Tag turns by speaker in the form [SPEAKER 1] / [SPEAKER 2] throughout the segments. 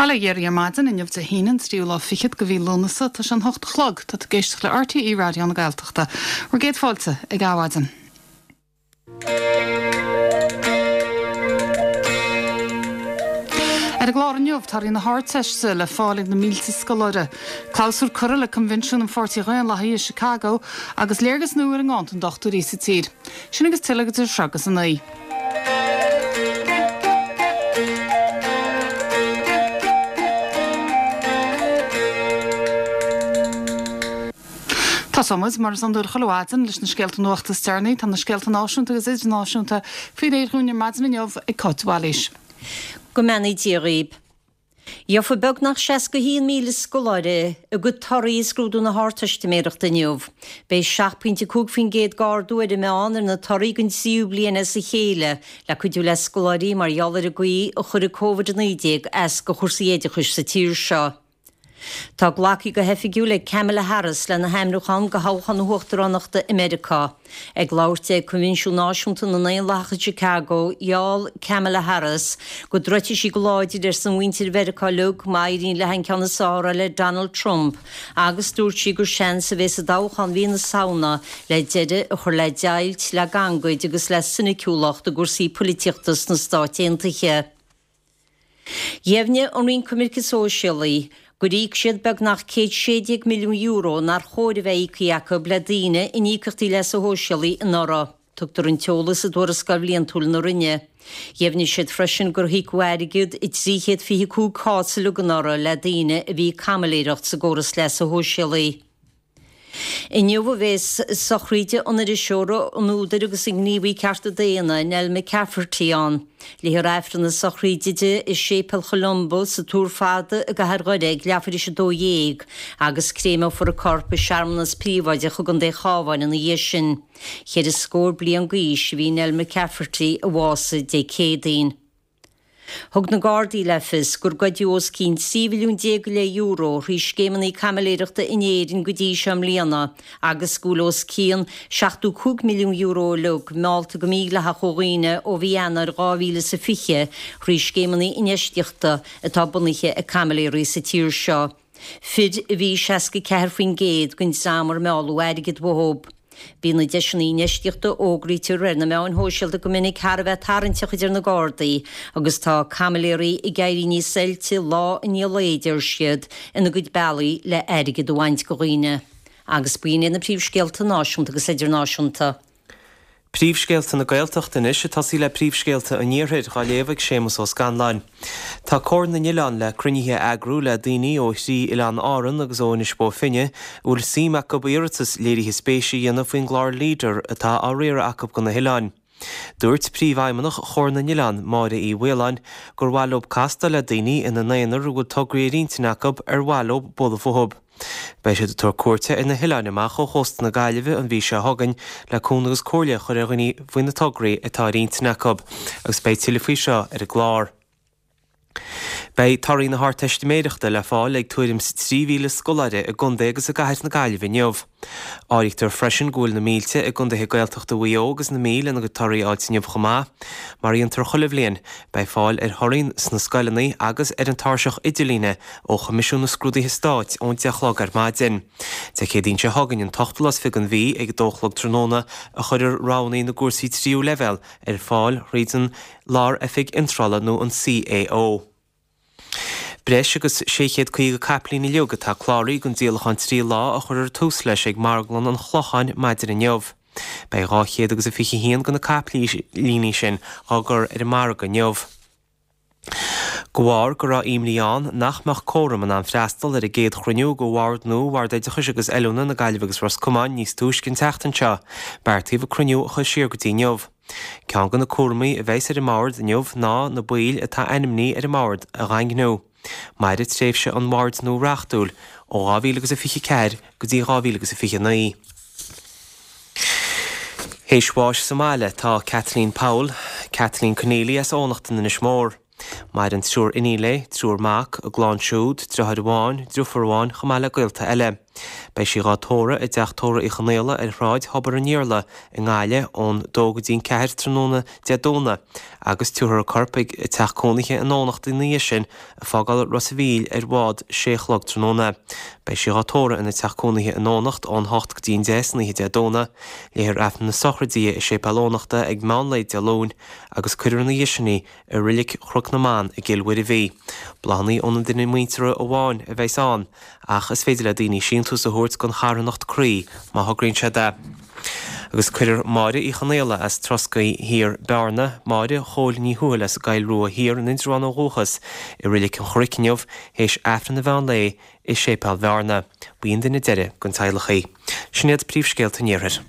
[SPEAKER 1] Bail ó Dhia oraibh ar maidin inniu Dé hAoine an tríú lá fichead de mhí Lúnasa. Tá sé an hocht a chlog. Tá tú ag éisteacht le RTÉ Raidió na Gaeltachta. Bhur gcéad fáilte ag Adhmhaidin. Ar an gclár inniu, torthaí na hArdteiste le fáil ag na mílte scoláire, clabhsúr curtha le Coinbhinsiún an Pháirtí Dhaonlathaigh i Chicago agus léargas nua ar an nganntan dochtúirí sa tír. Sin agus tuilleadh idir seo agus a naoi. Tosóidh muid, mar is iondúil chuile mhaidin, leis na scéalta nuachta is deireanaí. Tá na scéalta náisiúnta agus idirnáisiúnta faoi réir dhúinn ar maidin inniu ag Cáit de Bhailís.
[SPEAKER 2] Go mbeannaí Dia dhaoib. Gheofaidh beagnach 61,000 scoláire a gcuid torthaí i scrúdú na hArdteistiméireachta inniu. Beidh 7.5% d'ardú ar an meán ar na torthaí don tríú bliain as a chéile le cuidiú le scoláirí mar gheall ar an gcaoi a chuir Covid-19 as do chúrsaí oideachais sa tír seo. Tá glactha go hoifigiúil ag Kamala Harris lena hainmniúchán do thoghchán na huachtaránachta i Meiriceá. Ag labhairt di ag Coinbhinsiún Náisiúnta na nDaonlathach i Chicago, gheall Kamala Harris go dtroidfidh sí go láidir ar son mhuintir Mheiriceá uilig má éiríonn léi an ceann is fearr a fháil ar Donald Trump agus dúirt sí gur seans a bheidh sa dtoghchán mhí na Samhna le deireadh a chur le deighilt, le gangaid agus le soiniciúlacht i gcúrsaí poilitíochta sna Stáit Aontaithe. Dheimhnigh an Roinn Coimirce Sóisialaí gur íoc siad beagnach €116 milliún nár chóir a bheith íoctha acu le daoine in íocaíochtaí leasa shóisialaigh anuraidh. Tugtar an t-eolas i dtuarascáil bhliantúil na Roinne. Dheimhnigh siad freisin gur híocadh airgead i 325 cás uilig anuraidh le daoine a bhí ag caimiléireacht sa gcóras leasa shóisialaigh. Inniu a bheas sochraid an iriseora, an údair agus an ghníomhaí cearta daonna, Nell McCafferty ann. Léifear Aifreann na sochraide di i Séipéal Cholumba sa Túr Fada i gcathair Dhoire ag leathuair tar éis 12 agus créimeofar a corp i searmanas príobháideach i gContae an Chabháin ina dhiaidh sin. Cheithre scór bliain d'aois a bhí Nell McCafferty a bhásaigh Dé Céadaoin. Thug na Gardaí le fios gur goideadh os cionn €13 mhilliún go leith thrí scéimeanna caimiléireachta in Éirinn go dtí seo i mbliana agus go bhfuil os cionn €75 milliún uilig meallta go mídhleathach ó dhaoine ó mhí Eanáir 2020 thrí scéimeanna infheistíochta atá bunaithe ag caimiléirí sa tír seo. Fir a bhí i 64% den dream ar mealladh airgead uathu. Bíonn na deiseanna infheistíochta a fhógraítear ar na meáin shóisialta go minic thar a bheith tarraingteach a deir na Gardaí agus tá caimiléirí ag éirí níos oilte lá i ndiaidh lae, a deir siad, ina gcuid bealaí le airgead a bhaint de dhaoine. Agus b'in iad na príomhscéalta náisiúnta agus idirnáisiúnta.
[SPEAKER 3] Príomhscéalta na Gaeltachta anois, ag tosaí le príomhscéalta an Iarthair, dhá léamh ag Séamus Ó Scanláin. Tá Comhar na nOileán le cruinnithe a eagrú le daoine ó thrí oileán Árann agus ó Inis Bó Finne a bhfuil suim acu iarratas léirithe spéise a dhéanamh faoin gclár Leader atá á riaradh acu do na hoileáin. Dúirt Príomhfheidhmeannach Chomhar na nOileán, Máire Uí Mhaoláin, gur mhaith leo castáil le daoine ina n-aonar a bhfuil tograí ar intinn acu ar mhaith leo bualadh fúthu. Beidh siad ag tabhairt cuairte ar na hoileáin amach ó chósta na Gaillimhe an mhí seo chugainn le cúnamh agus comhairle a chur ar dhaoine faoi na tograí atá ar intinn acu agus beidh tuilleadh faoi seo ar an gclár. Beidh torthaí na hArdteistiméireachta le fáil ag tuairim 's 3,000 scoláire i gcontae agus i gcathair na Gaillimhe inniu. Áirítear freisin go bhfuil na mílte i gcontaetha Gaeltachta Mhaigh Eo agus na Mí lena gcuid torthaí a fháilt inniu chomh maith. Mar a dhéantar chuile bhliain, beidh fáil ar thorthaí sna scoileanna agus ar an tairseach idirlíne ó Choimisiún na Scrúduithe Stáit ón 10 a chlog ar maidin. Dé Céadaoin seo chugainn, an t-ochtú lá is fiche den mhí, ag a dó a chlog tráthnóna, a chuirfear roghanna na gcúrsaí tríú leibhéal ar fáil thríd an Lár-Oifig Iontrála nó an CAO. Breis agus 650 caipilín uilig atá cláraithe don díolachán 3 lá a chuirfear tús leis ag Marglann an Chlocháin maidin inniu. Beidh 200 agus a 21 de na caipilíní sin á gcur ar an margadh inniu. De bharr go raibh imní ann nach mbeadh córam in ann freastal ar an gcéad chruinniú de Bhord nua Bhord Oideachais agus Oiliúna na Gaillimhe agus Ros Comáin níos túisce an tseachtain seo, beartaíodh an cruinniú a chur siar go dtí inniu. Ceann de na cúramaí a bheas ar an mbord inniu ná na baill atá ainmnithe ar an mbord a dhaingniú. Mairfidh tréimhse an bhoird nua reachtúil ó 2024 go dtí 2029. Théis bháis sa mbaile tá Kathleen Powell, Kathleen Conneely as Eoghanacht in Inis Mór. Maireann triúr iníon léi, triúr mac, a gclann siúd, driotháir amháin, driofúr amháin chomh maith le gaolta eile. Beidh sí dhá tórramh i dTeach Tórraimh Uí Chonaola ar Shráid Thobar an Iarla i nGaillimh ón dó go dtí'n ceathair tráthnóna Dé Domhnaigh agus tabharfar a corp chuig a teach cónaithe in Eoghanacht ina dhiaidh sin ag fágáil Ros a' Mhíl ar bhád sé a chlog tráthnóna. Beidh sí dhá tórramh ina teach cónaithe in Eoghanacht ón hocht go dtí'n deich san oíche Dé Domhnaigh. Léifear Aifreann na sochraide di i Séipéal Eoghanachta ag meán lae Dé Luain agus cuirfear ina dhiaidh sin í i Reilig Chnoc na mBan i gCill Mhuirbhigh. Bláthanna óna nduine muinteartha amháin a bheas ann ach is féidir le daoine síntiús a thabhairt don charthanacht Croí má thograíonn siad é. Agus cuirfear Máire Uí Chonaola as Troscaí Thiar, Bearna, Máire Chóil Ní Thuathail as an gCoill Rua Thiar in Indreabhán ó dhúchas, i Reilig an Chnoic inniu théis Aifreann an mheán lae i Séipéal Bhearna. Ba í an duine deiridh den teaghlach í. Sin iad príomhscéalta an Iarthair.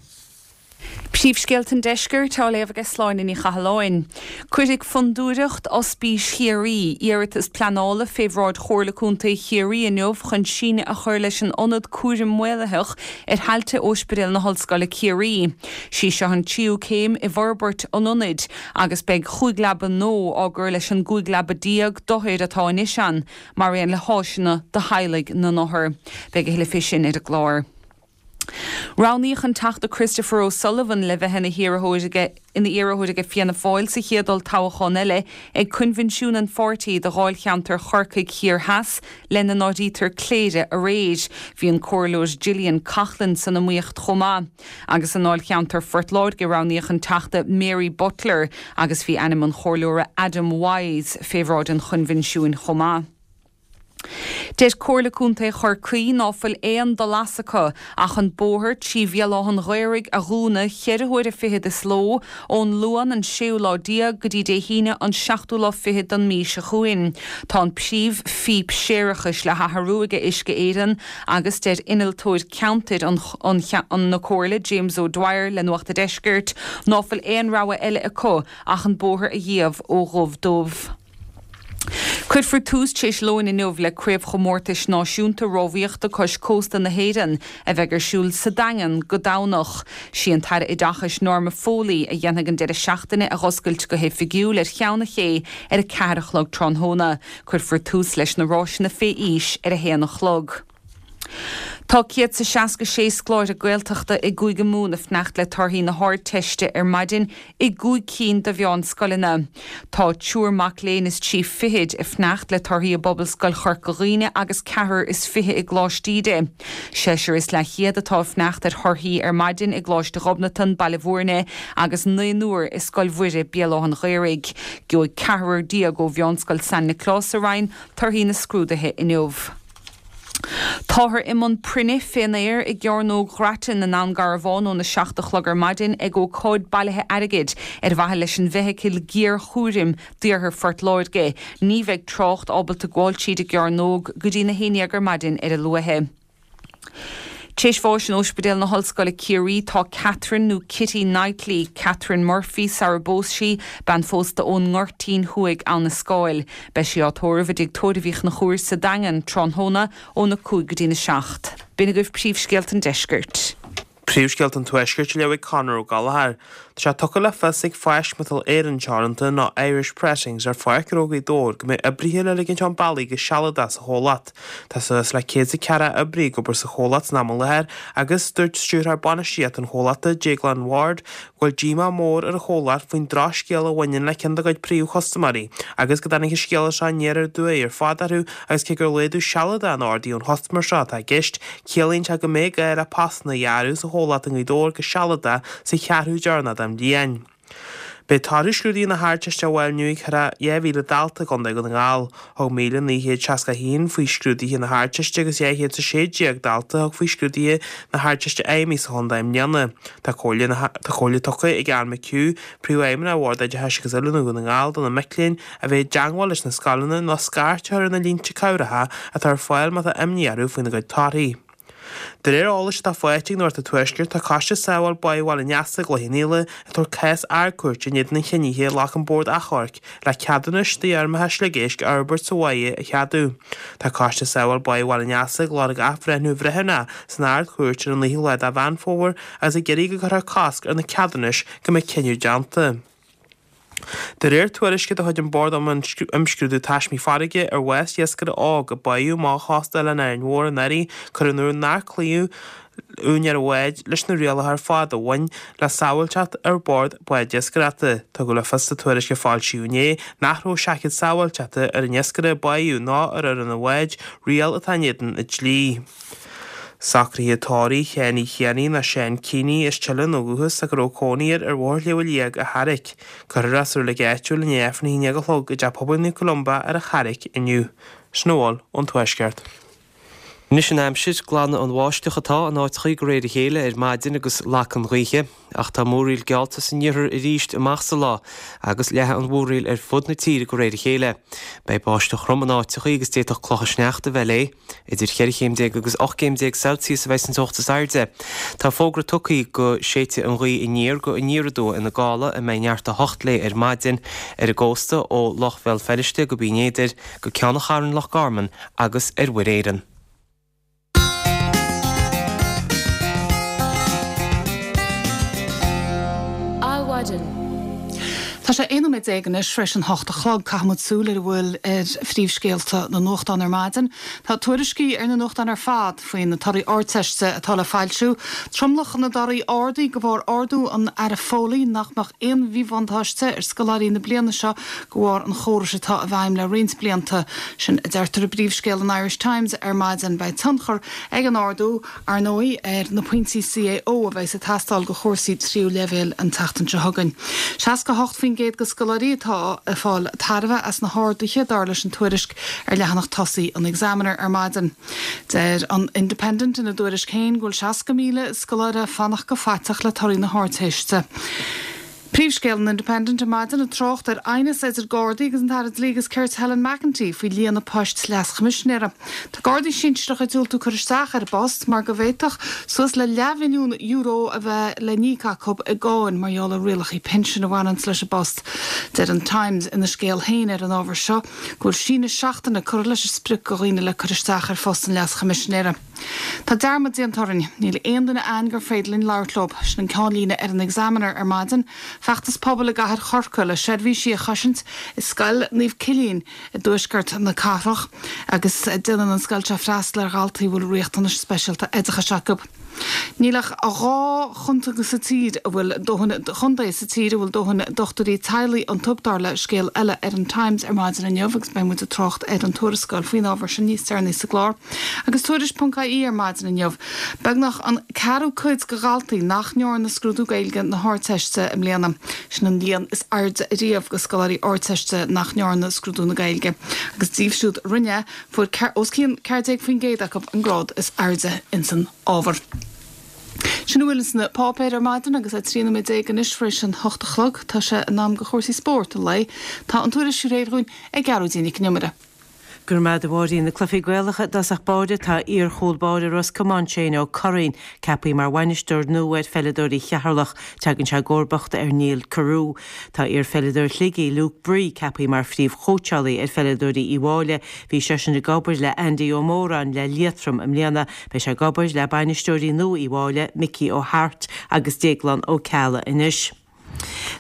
[SPEAKER 1] Príomhscéalta an Deiscirt á léamh aige Sláine Ní Chathalláin. Cuirfidh Fondúireacht Ospís Chiarraí iarratas pleanála fé bhráid Chomhairle Contae Chiarraí inniu chun síneadh a chur leis an ionad cúraim maolaitheach ar thailte Óispidéal na hOllscoile Ciarraí. Sí seo an tríú céim i bhforbairt an ionaid agus beidh chúig leaba nua á gcur leis an gcúig leaba déag d'othair atá anois ann, mar aon le háiseanna do theaghlaigh na n-othar. Beidh a thuilleadh fé sin ar an gclár. Roghnaíodh an Teachta Christopher O'Sullivan le bheith ina hiarrthóir aige ina iarrthóir aige Fianna Fáil sa chéad olltoghchán eile ag coinbhinsiún an pháirtí do dháilcheantar Chorcaigh Thiar Theas, lena n-áirítear Cléire, aréir. Bhí an Comhairleoir Gillian Coughlan san iomaíocht chomh maith. Agus i ndáilcheantar Phort Láirge roghnaíodh an Teachta Mary Butler agus bhí ainm an Chomhairleora Adam Wise fé bhráid an choinbhinsiúin chomh maith. Deir Comhairle Contae Chorcaí ná fuil aon dul as acu ach an bóthar trí Bhéal Átha'n Ghaorthaidh a dhúnadh cheithre huaire fichead is ló, ón Luan an séú lá déag go dtí Dé hAoine an seachtú lá fichead den mí seo chugainn. Tá an príomh phíp séarachais le hathrú aige Uisce Éireann agus deir innealtóir ceantair an an na Comhairle James O'Dwyer le Nuacht a' Deiscirt ná fuil aon rogha eile acu ach an bóthar a dhíobh ó dhubh dubh. Cuirfear tús tar éis lóin inniu le Craobhchomórtais Náisiúnta Rámhaíochta Cois Cósta na hÉireann a bheidh ar siúl sa Daingean go Domhnach. Sí an tAire Oideachais Norma Foley a dhéanfaidh an deireadh seachtaine a dh'oscailt go hoifigiúil ar Cheann an Ché ar 4 a chlog tráthnóna. Cuirfear tús leis na ráiseanna fé aois ar 1 a chlog. Tá 166 scoláire Gaeltachta i gCúige Mumhan ag fanacht le torthaí na hArdteiste ar maidin i gcúig cinn de mheánscoileanna. Tá triúr mac léinn is trí fichid ag fanacht le torthaí i bPobalscoil Chorca Dhuibhne agus ceathrar is fiche i gColáiste Íde. Seisear is leathchéad atá ag fanacht ar thorthaí ar maidin i gColáiste Ghobnatan, Baile Bhúirne agus naonúr i Scoil Mhuire, Béal Átha'n Ghaorthaidh. Gheobhaidh ceathrar déag ó Mheánscoil San Nioclás sa Rinn torthaí na scrúduithe inniu. Táthar i mbun proinne fén aer i gCearnóg Ghrattan i nDún Garbhán óna 7 a chlog ar maidin ag ócáid bailithe airgid ar mhaithe leis an bhfeithicil ghéarchúraim d'Iarthar Phort Láirge. Ní bheidh trácht ábalta gabháil tríd an gcearnóg go dtína haon dhéag ar maidin ar a luaithe. Tar éis bháis in Óispidéal na hOllscoile Ciarraí tá Catherine nó Kitty Knightley, Catherine Murphy sara bpós sí, bean phósta ón nGoirtín Thuaidh, Abha na Scáil. Beidh sí á tórramh i dTigh Tórraimh Uí Chonchúir sa Daingean tráthnóna óna 5 go dtína 7. B'in agaibh príomhscéalta an deiscirt.
[SPEAKER 4] Príomhscéalta an Tuaiscirt á léamh ag Conor Ó Gallchóir. Tá sé tugtha le fios ag Fáisc Miotal Éireann Teoranta nó Irish Pressings ar Pháirc Ghnó Ghaoth Dobhair go mbeidh oibrithe le ligint chun bealaigh go sealadach sa chomhlacht. Tá suas le 104 oibrí ag obair sa chomhlacht san am i láthair agus dúirt Stiúrthóir Bainistíochta an chomhlachta, Déaglán Ward, go bhfuil díomá mór ar an chomhlacht faoin drochscéal a bhaineann le ceann dá gcuid príomhchustaiméirí agus go dtáinig an scéala seo aniar aduaidh ar fad orthu agus cé gur laghdú sealadach in ordaí ón chustaiméir seo atá i gceist, ciallaíonn sé go mbeidh gá le postanna a ghearradh sa chomhlacht i nGaoth Dobhair go sealadach sa cheathrú deireanach den bhliain. Beidh torthaí scrúduithe na hArdteiste á bhfáil inniu ag thar 2,000 dalta i gContae Dhún na nGall. Thug 1,961 faoi scrúduithe na hArdteiste agus 216 dalta a thug faoi scrúduithe na hArdteiste Fheidhmí sa chontae i mbliana. Tá comhairle tá comhairle tugtha ag Anne McHugh, Príomhfheidhmeannach Bhord Oideachais agus Oiliúna Dhún na nGall do na mic léinn a bheith i dteangmháil leis na scoileanna nó scairt a chur ar na línte cabhracha atá ar fáil má tá imní orthu faoina gcuid torthaí. De réir eolais atá faighte ag Nuacht an Tuaiscirt, tá Coiste Sábháil Báigh Bhaile an Easa i gCloich Cheann Fhaola ag tabhairt cás Ard-Chúirte in éadan an chinnidh a ghlac an Bord Achomhairc le ceadúnais d'fheirmeacha sliogéisc a fhorbairt sa bháigh a cheadú. Tá Coiste Sábháil Báigh Bhaile an Easa ag lorg athbhreithniú bhreithiúnach san Ard-Chúirt ar an 9ú lá de Mheán Fómhair agus ag iarraidh go gcuirfear cosc ar na ceadúnais go mbeidh cinneadh déanta. De réir tuairisce de chuid an Bord um Imscrúdú Taismí Farraige ar bhás iascaire óg a báthadh amach ó chósta Oileán Árainn Mhór anuraidh, cuireadh in iúl nár cloíodh úinéir an bháid leis na rialacha ar fad a bhain le sábháilteacht ar bord báid iascaireachta. Tugadh le fios sa tuairisc a foilsíodh inné nach raibh seaicéad sábháilteachta ar an iascaire a báthadh ná ar fhoireann an bháid, riail atá in éadan an dlí. Socruithe tórraimh Sheáin Uí Chianaigh nó Seán Keeney as Teileann ó dhúchas ach a raibh cónaí air ar Bhóthar Shliabh Liag a Charraic. Cuirfear é sa reilig áitiúil i ndiaidh Aifreann a 11 a chlog i dTeach Pobail Naomh Columba ar an Charraic inniu. Sin a bhfuil ón Tuaisceart.
[SPEAKER 3] Anois an aimsir, glanfaidh an bháisteach atá in áiteachaí de réir a chéile ar maidin agus lagfaidh an ghaoth. Ach tá múraíl geallta san iarthar arís amach sa lá agus leathfaidh an mhúraíl ar fud na tíre de réir a chéile. Beidh báisteach throm in áiteachaí agus d'fhéadfadh clocha sneachta a bheith léi. Idir cheithre chéim déag agus 18 gcéim Celsius a bheidh an teocht is airde. Tá fógra tugtha go séidfidh an ghaoth aniar go aniar aduaidh ina gála a mbeidh neart 8 léi ar maidin ar an gcósta ó Loch Bhéal Feirste go Binn Éadair go Ceann an Chairn Loch Garman agus ar Mhuir Éireann.
[SPEAKER 1] Adhmhaidin. Tá sé 11 nóiméad anois tar éis an hocht a chlog. Caithfidh muid súil ar a bhfuil ar phríomhscéalta na nuachtán ar maidin. Tá tuairiscí ar na nuachtáin ar fad faoi na torthaí Ardteiste atá le foilsiú. Tromlach na dtorthaí ardaithe de bharr ordú an Aire Foley nach mbeadh aon mhíbhuntáiste ar scoláirí na bliana seo de bharr an chórais atá i bhfeidhm le roinnt blianta. Sin a deirtear i bpríomhscéal an Irish Times ar maidin. Beidh tionchar ag an ardú, ar ndóigh, ar na pointí CAO a bheas ag teastáil do chúrsaí tríú leibhéal an tseachtain seo chugainn. 68% de scoláirí atá ag fáil tairbhe as na harduithe, dar leis an tuairisc ar leathanach tosaigh an Examiner ar maidin. Deir an Independent ina dtuairisc féin go bhfuil 60,000 scoláire ag fanacht go faiteach le torthaí na hArdteiste. Príomhscéal an Independent ar maidin ag trácht ar aighneas idir Gardaí agus an tAire Dlí agus Cirt Helen McEntee faoi líonadh poist Leas-Choimisinéara. Tá Gardaí sinsearacha ag diúltú cur isteach ar an bpost mar go bhféadfadh suas le leathmhilliún euro a bheith le n-íoc acu i gcáin mar gheall ar rialacha pinsin a bhaineanns leis an bpost. Deir an Times ina scéal féin ar an ábhar seo go bhfuil síneadh seachtaine curtha leis an sprioc do dhaoine le cur isteach ar phost an Leas-Choimisinéara. Tá dearmad déanta orainn. Níl aon duine a'ainn gur féidir linn labhairt leo. Sin an ceannlíne ar an Examiner ar maidin. Feachtas pobail i gcathair Chorcaí le seirbhísí a chosaint i Scoil Naomh Cillian i dtuaisceart na cathrach agus déanann an scoil seo freastal ar dhaltaí a bhfuil riachtanais speisialta oideachais acu. Níl ach 2 chontae sa tír a bhfuil dóthain chontae sa tír a bhfuil dóthain dochtúirí teaghlaigh iontu, dar le scéal eile ar an Times ar maidin inniu agus beidh muid ag trácht ar an tuarascáil faoin ábhar sin níos deireanaí sa gclár. Agus Tuairisc ponc ie ar maidin inniu, beagnach an ceathrú cuid de dhaltaí nach ndearna scrúdú Gaeilge na hArdteiste i mbliana. Sin an líon is airde ariamh de scoláirí Ardteiste nach ndearna scrúdú na Gaeilge. Agus díobh siúd a rinne, fuair os cionn 14% acu an grád is airde ins an ábhar. Sin a bhfuil ins na páipéir ar maidin agus é 13 nóiméad anois tar éis an hocht a chlog. Tá sé in am do chúrsaí spóirt an lae. Tá an tuairisc réidh dhúinn ag Gearóidín Nic an Iomaire.
[SPEAKER 5] Go raibh maith agat a Mháirín. Na cluichí Gaelacha i dtosach báire tá iar-chúl báire Ros Comáin Shane Ó Curraoin ceaptha mar bhainisteoir nua ar pheileadóirí Cheatharlach. Tagann sé i gcomharbacht ar Niall Carew. Tá iar-pheileadóir Shligigh Luke Bree ceaptha mar phríomh-chóitseálaí ar pheileadóirí Uíbh Fhailí. Bhí seisean ag obair le Andy Ó Móráin le Liatroim i mbliana. Beidh sé ag obair le bainisteoirí nua Uíbh Fhailí, Mickey Ó hAirt agus Déaglán Ó Ceallaigh anois.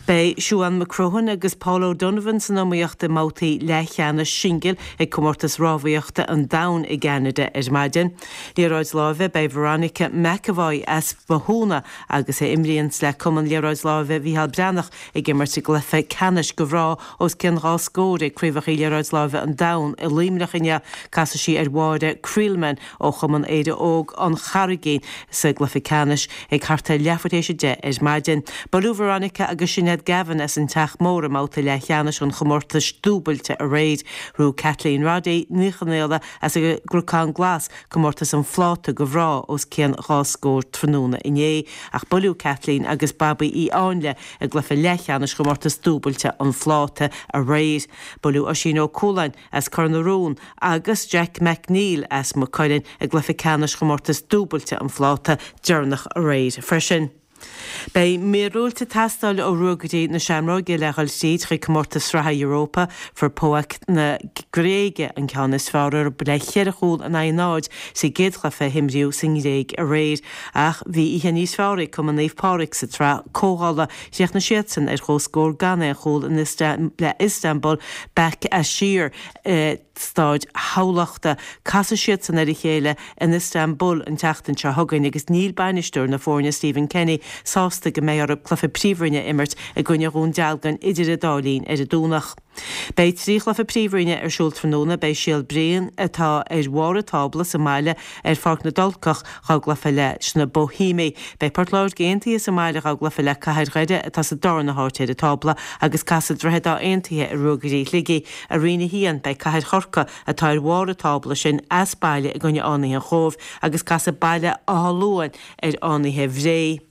[SPEAKER 5] Beidh Siuan McCrohan agus Paul O'Donovan san iomaíocht i mbabhtaí leathcheannais singil ag Comórtas Rámhaíochta an Domhain i gCeanada ar maidin. Liathróid láimhe, Beidh Veronica McEvoy as Bothúna agus a imríonns le Cumann Liathróid Láimhe Mhícheál Breathnach ag imirt i gcluiche ceannais do mhná os cionn 2 scór ag Craobhacha Liathróid Láimhe an Domhain i Luimneach inniu. Casfaidh sí ar Mháire Creelman ó Chumann Éire Óg an Charraigín sa gcluiche ceannais ag thart ar leathuair théis 10 ar maidin. Buaileadh Veronica agus Sinéad Gavin as an Teach Mór i mbabhta leathcheannais an chomórtais dúbailte aréir. Ghnóthaigh Kathleen Roddy Ní Chonaola as an gCnocán Glas comórtas an phláta do mhná os cionn 2 scór tráthnóna inné ach buaileadh Kathleen agus Babaí Uí Áinle i gcluiche leathcheannais chomórtas dúbailte an phláta aréir. Buaileadh Oisín Ó Cualáin as Cor na Rón agus Jack McNeill as Maigh Cuilinn i gcluiche ceannais chomórtas dúbailte an phláta deireanach aréir freisin. Beidh míorúilt ag teastáil ó Ruagairí na Seamróige le dhul tríd chuig Comórtas Sraithe Europa. Fuair PAOK na Gréige an ceann is fearr orthu le cheithre chúl in aghaidh a náid sa gcéad chluiche a himríodh sa nGréig aréir. Ach bhí oíche níos fearr ag Cumann Naomh Pádraig sa tsraith comhdhála. Chríochnaigh siadsan ar chomhscór gan aon chúl le Istanbul Basaksehir i Staid Thamhlachta. Casfaidh siadsan ar a chéile in Istanbul an tseachtain seo chugainn agus níl bainisteoir na foirne Stephen Kenny sásta go mbeidh orthu cluiche Príomhroinne a imirt i gcoinne Dhún Dealgan idir an dá linn ar an Domhnach. Beidh 3 chluiche Príomhroinne ar siúl tráthnóna. Beidh Síol Bhriain, atá ar bharr an tábla, sa mbaile ar Pháirc na dTulcach dhá gcluiche leis na Boihéamaigh. Beidh Port Láirge Aontaithe sa mbaile dhá gcluiche le Cathair Dhoire atá sa darna háit ar an tábla agus casfaidh Droichead Átha Aontaithe ar Ruagairí Shligigh. I Roinn 1, beidh Cathair Chorcaí, atá ar bharr an tábla sin, as baile i gcoinne Fhánaithe an Chóibh agus casfaidh Baile Átha Luain ar Fhánaithe Bhré.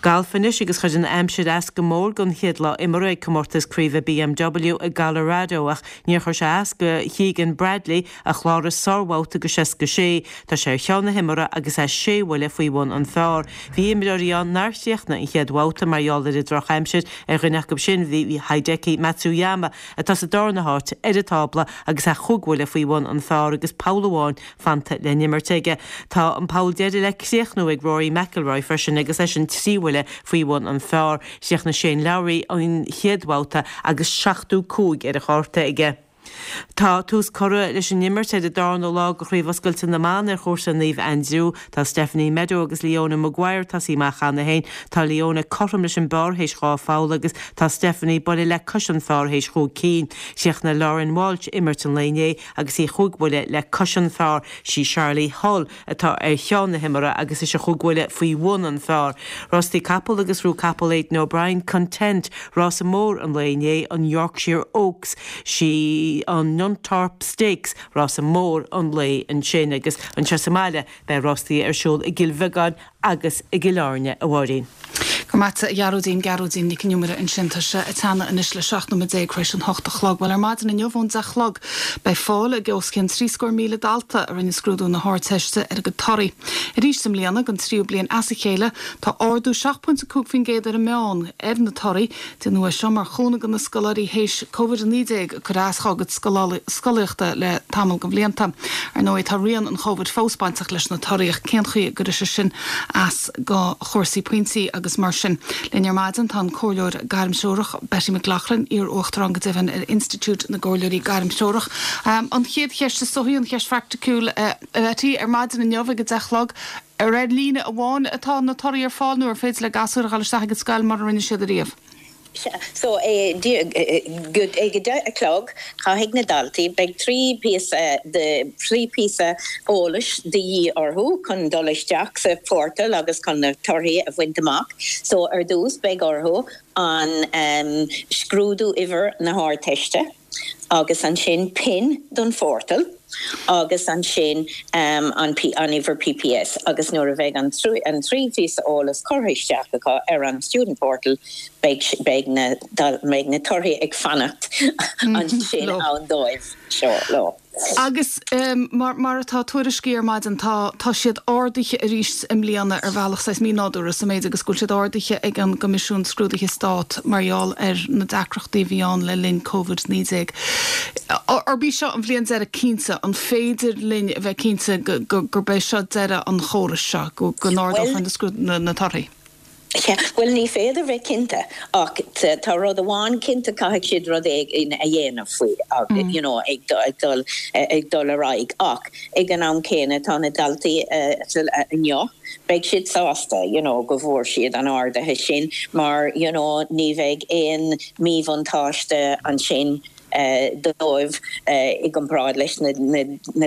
[SPEAKER 5] Galf anois agus chuir an aimsir as go mór don chéad lá imeartha ag Comórtas Craoibhe BMW i gColorado ach níor chuir sé as do Keegan Bradley a chláraigh sárbhabhta de 66. Tá sé ar cheann na himeartha agus é sé bhuille faoi bhun an phar. Bhí imreoirí ann nár chríochnaigh an chéad bhabhta mar gheall ar an drochaimsir, ar dhuine acu sin bhí Hideki Matsuyama atá sa darna háit ar an tábla agus é chúig bhuille faoi bhun an phar agus poll amháin fanta le n-imirt aige. Tá an poll deiridh le críochnú ag Rory McIlroy freisin agus eisean 3 bhuille faoi bhun an phar. Chríochnaigh Shane Lowry an chéad bhabhta agus 75 ar a chárta aige. Tá tús curtha leis an imirt ar an darna lá de Chraobh Oscailte na mBan ar chúrsa Naomh Aindriú. Tá Stephanie Meadow agus Leona Maguire tosaithe amach cheana féin. Tá Leona cothrom leis an bpar théis dhá pholl agus tá Stephanie buille le cois an phar théis chúig cinn. Chríochnaigh Lauren Walsh imirt an lae inné agus í chúig bhuille le cois an phar. Sí Charley Hull atá ar cheann na himeartha agus ise chúig bhuille faoi bhun an phar. Rástaí capall agus ghnóthaigh capall Aidan O'Brien Content rása mór an lae inné, an Yorkshire Oaks. Sí an Nunthorpe Stakes rása mór an lae ansin agus anseo sa mbaile beidh rástaí ar siúl i gCill Bheagáin agus i gCill Airne, a Mháirín.
[SPEAKER 1] Go raibh maith agat, a Ghearóidín, Gearóidín Nic an Iomaire ansin. Tá sé ag teannadh anois le 17 nóiméad tar éis an hocht a chlog. Bhuel, ar maidin inniu ón deich a chlog beidh fáil ag os cionn 73,000 dalta a rinne scrúdú na hArdteiste ar a gcuid torthaí. Arís i mbliana, don tríú bliain as a chéile, tá ardú 7.5% ar an meán ar na torthaí. Déanadh é seo mar chúnamh do na scoláirí théis Covid-19 ag cur as dhá gcuid scolaíochta le tamall de bhlianta. Ar ndóigh tá rian an Chovid fós bainteach leis na torthaí ach cén chaoi a gcuirfidh sé sin as do chúrsaí pointí agus mar sin. Linn ar maidin tá an Comhairleoir Gairmthreorach Betty McLaughlin, iar-Uachtarán go deimhin ar Institiúid na gComhairleoirí Gairmthreorach. An chéad cheist is dóichí, an cheist phraiticiúil a Bhetty, ar maidin inniu ag a deich a chlog, Ar ar líne amháin atá na torthaí ar fáil nó ar féidir le gasúir a dhul isteach ag an scoil mar a rinne siad ariamh?
[SPEAKER 6] Sea, so ag a deich a chlog caithfidh na daltaí, beidh 3 píosa de, 3 píosa eolais de dhíth orthu chun dul isteach sa phortal agus chun na torthaí a bhaint amach. So ar dtús beidh orthu an scrúdú uimhir na hArdteiste, agus ansin pin don phortal agus ansin an an uimhir PPS agus nuair a bheidh an an trí phíosa eolais curtha isteach acu ar an student portal beidh beidh na beidh na torthaí ag fanacht ansin ann dóibh. Seo leo.
[SPEAKER 1] Agus mar mar atá tuairiscithe ar maidin, tá tá siad ardaithe arís i mbliana ar bhealach saghas mínádúrtha sa méid agus go bhfuil siad ardaithe ag an gCoimisiún Scrúduithe Stáit mar gheall ar na deacrachtaí a bhí ann le linn Covid-19. Arb í seo an bhliain deiridh cinnte? An féidir linn a bheith cinnte go go gurb é seo deireadh an chórais seo, go go n-ardófar na scrúd na na torthaí?
[SPEAKER 6] Sea, bhuel ní féidir bheith cinnte ach tá rud amháin cinnte caithfidh siad rud éigin a dhéanamh faoi you know ag dul ag dul ar aghaidh ach ag an am céanna tá na daltaí inniu beidh siad sásta you know go bhfuair siad an ardaithe sin mar you know ní bheidh aon míbhuntáiste ansin dóibh i gcomparáid leis na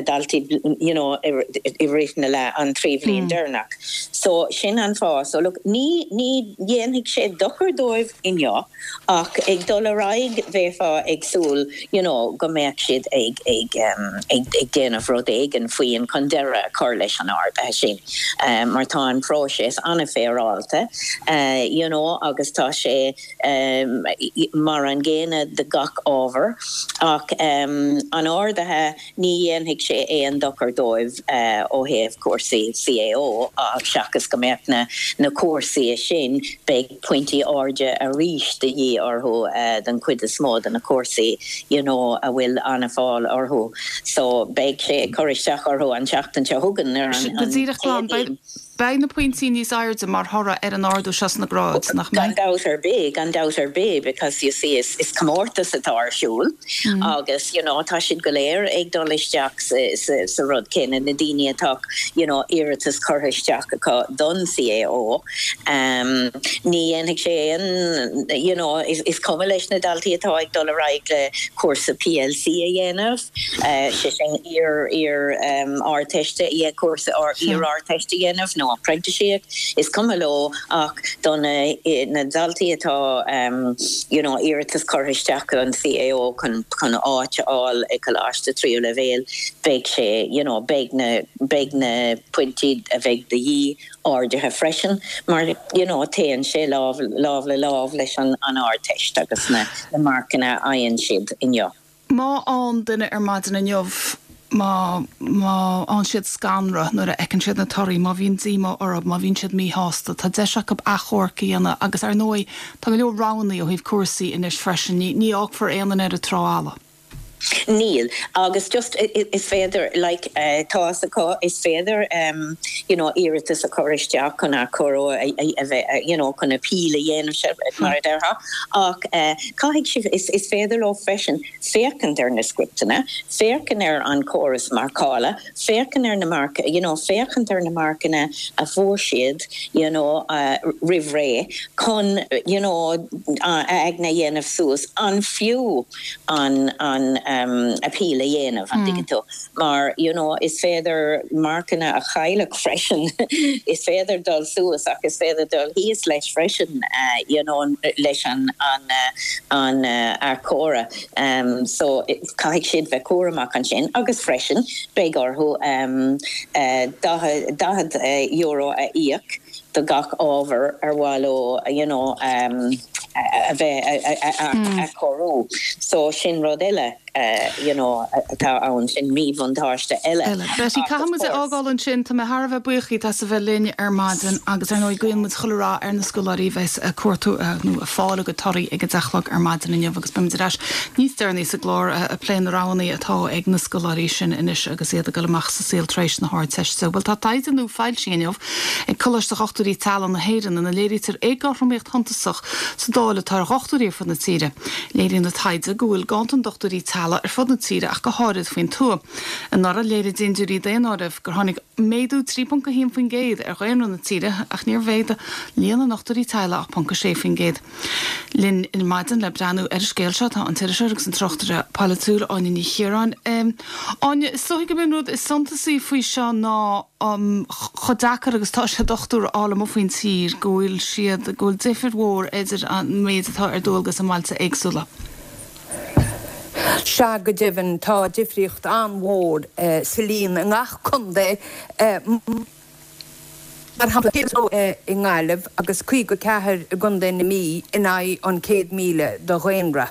[SPEAKER 6] daltaí you know i rith na le an 3 bhliain deireanach. So sin an fáth. So look ní ní dhéanfaidh sé dochar dóibh inniu ach ag dul ar aghaidh bheifeá ag súil you know go mbeadh siad ag ag ag ag déanamh rud éigin faoi chun deireadh a chur leis an ardaithe sin mar tá an próiseas an-fhéaráilte you know agus tá sé mar an gcéanna do gach ábhar. leor ach an ardaithe ní dhéanfaidh sé aon dochar dóibh ó thaobh cúrsaí CAO seachas go mbeadh na na cúrsaí sin, beidh pointí airde arís de dhíth orthu don chuid is mó de na cúrsaí you know a bhfuil an-fháil orthu. So beidh sé ag cur isteach orthu an tseachtain seo chugainn ar an
[SPEAKER 1] Go díreach glan,
[SPEAKER 6] Céadaoin.
[SPEAKER 1] Beidh na pointí níos airde mar thoradh ar an ardú seo sna gráid, nach
[SPEAKER 6] mbeidh? Gan dabht ar bith, gan dabht ar bith because you see is is comórtas atá ar siúl agus you know tá siad go léir ag dul isteach sa sa sa rud céanna, na daoine atá you know iarratas curtha isteach acu don CAO. Um ní dhéanfaidh sé aon you know is is cuma leis na daltaí atá ag dul ar aghaidh le cúrsa PLC a dhéanamh. sé sin iar iar Ardteiste a cúrsa iar Ardteiste a dhéanamh nó printíseacht, is cuma leo ach do na na daltaí atá you know iarratas curtha isteach don CAO chun chun áit a fháil i coláiste tríú leibhéal beidh sé you know beidh na beidh na pointí a bheidh de dhíth ardaithe freisin mar you know téann sé lámh lámh le lámh leis an an Ardteist agus na na marcanna a fhaigheann siad inniu.
[SPEAKER 1] Má fhaigheann duine ar maidin inniu, má, má fhaigheann siad scanradh nuair a fheiceann siad na torthaí, má bhíonn díomá orthu, má bhíonn siad míshásta, tá deis acu achomharc a dhéanamh agus ar ndóigh tá go leor roghanna ó thaobh cúrsaí anois freisin, ní, ní fhágfar aon duine ar an trá fhalla.
[SPEAKER 6] Níl, agus just is féidir like tá's acu, is féidir you know iarratas a chur isteach chun achomharc a bheith you know chun appeal a dhéanamh mar a déarfá ach Caithfidh sibh, is féidir leo freisin féachaint ar na scripteanna, féachaint ar an chóras marcála, féachaint ar na marc, you know, féachaint ar na marcanna a fuair siad, you know, roimh ré chun, you know, a aigne a dhéanamh suas an fiú an, an appeal a dhéanamh, an dtuigeann tú? Mar, you know, is féidir marcanna a chailleadh freisin, is féidir dul suas ach is féidir dul thíos leis freisin, you know, leis an, an, an achomharc. So, caithfidh siad bheith cúramach ansin agus freisin beidh orthu €40 a íoc do gach ábhar ar mhaith leo, you know, a bheith a athchóiriú. So, sin rud eile. you know, atá ann, sin míbhuntáiste eile.
[SPEAKER 1] eile. Betty, caithfidh muid a fhágáil ansin. Tá mé thar a bheith buíoch díot as a bheith linn ar maidin agus ar ndóigh guíonn muid chuile rath ar na scoláirí a bheas ag cuartú nó ag fáil a gcuid torthaí ag a deich a chlog ar maidin inniu agus beimid ar ais níos deireanaí sa gclár ag plé na roghanna atá ag na scoláirí sin anois agus iad ag dul amach sa saol tar éis na hArdteiste. Bhuel tá taighde nua foilsithe inniu ag Coláiste Dhochtúirí Teaghlaigh na hÉireann ina léirítear éagothromaíocht shuntasach sa dáileadh atá ar dhochtúirí ar fud na tíre. Léiríonn an taighde go bhfuil ganntan dochtúirí teaghlaigh ar fud na tíre ach go háirid faoin tuath. Anuraidh, léirigh dindiúirí daonáirimh gur tháinig méadú 3.1% ar dhaonra na tíre ach níor mhéadaigh líon na ndochtúirí teaghlaigh ach 0.6%. Linn ar maidin le breathnú ar an scéal seo tá an t-iriseoir agus an tráchtaire polaitiúil Áine Ní Chiaráin. Áine, is dóigh gurb é an rud is suntasaí faoi seo ná chomh deacair agus atá sé dochtúir a fháil amuigh faoin tír, go bhfuil siad, go bhfuil difir mhór idir an méid atá ar dualgas i mbailte éagsúla.
[SPEAKER 7] Sea, go deimhin, tá difríocht an-mhór sa líon i ngach contae. Mar shampla, 102 i nGaillimh agus 54 i gContae na Mí in aghaidh an 100,000 de dhaonra.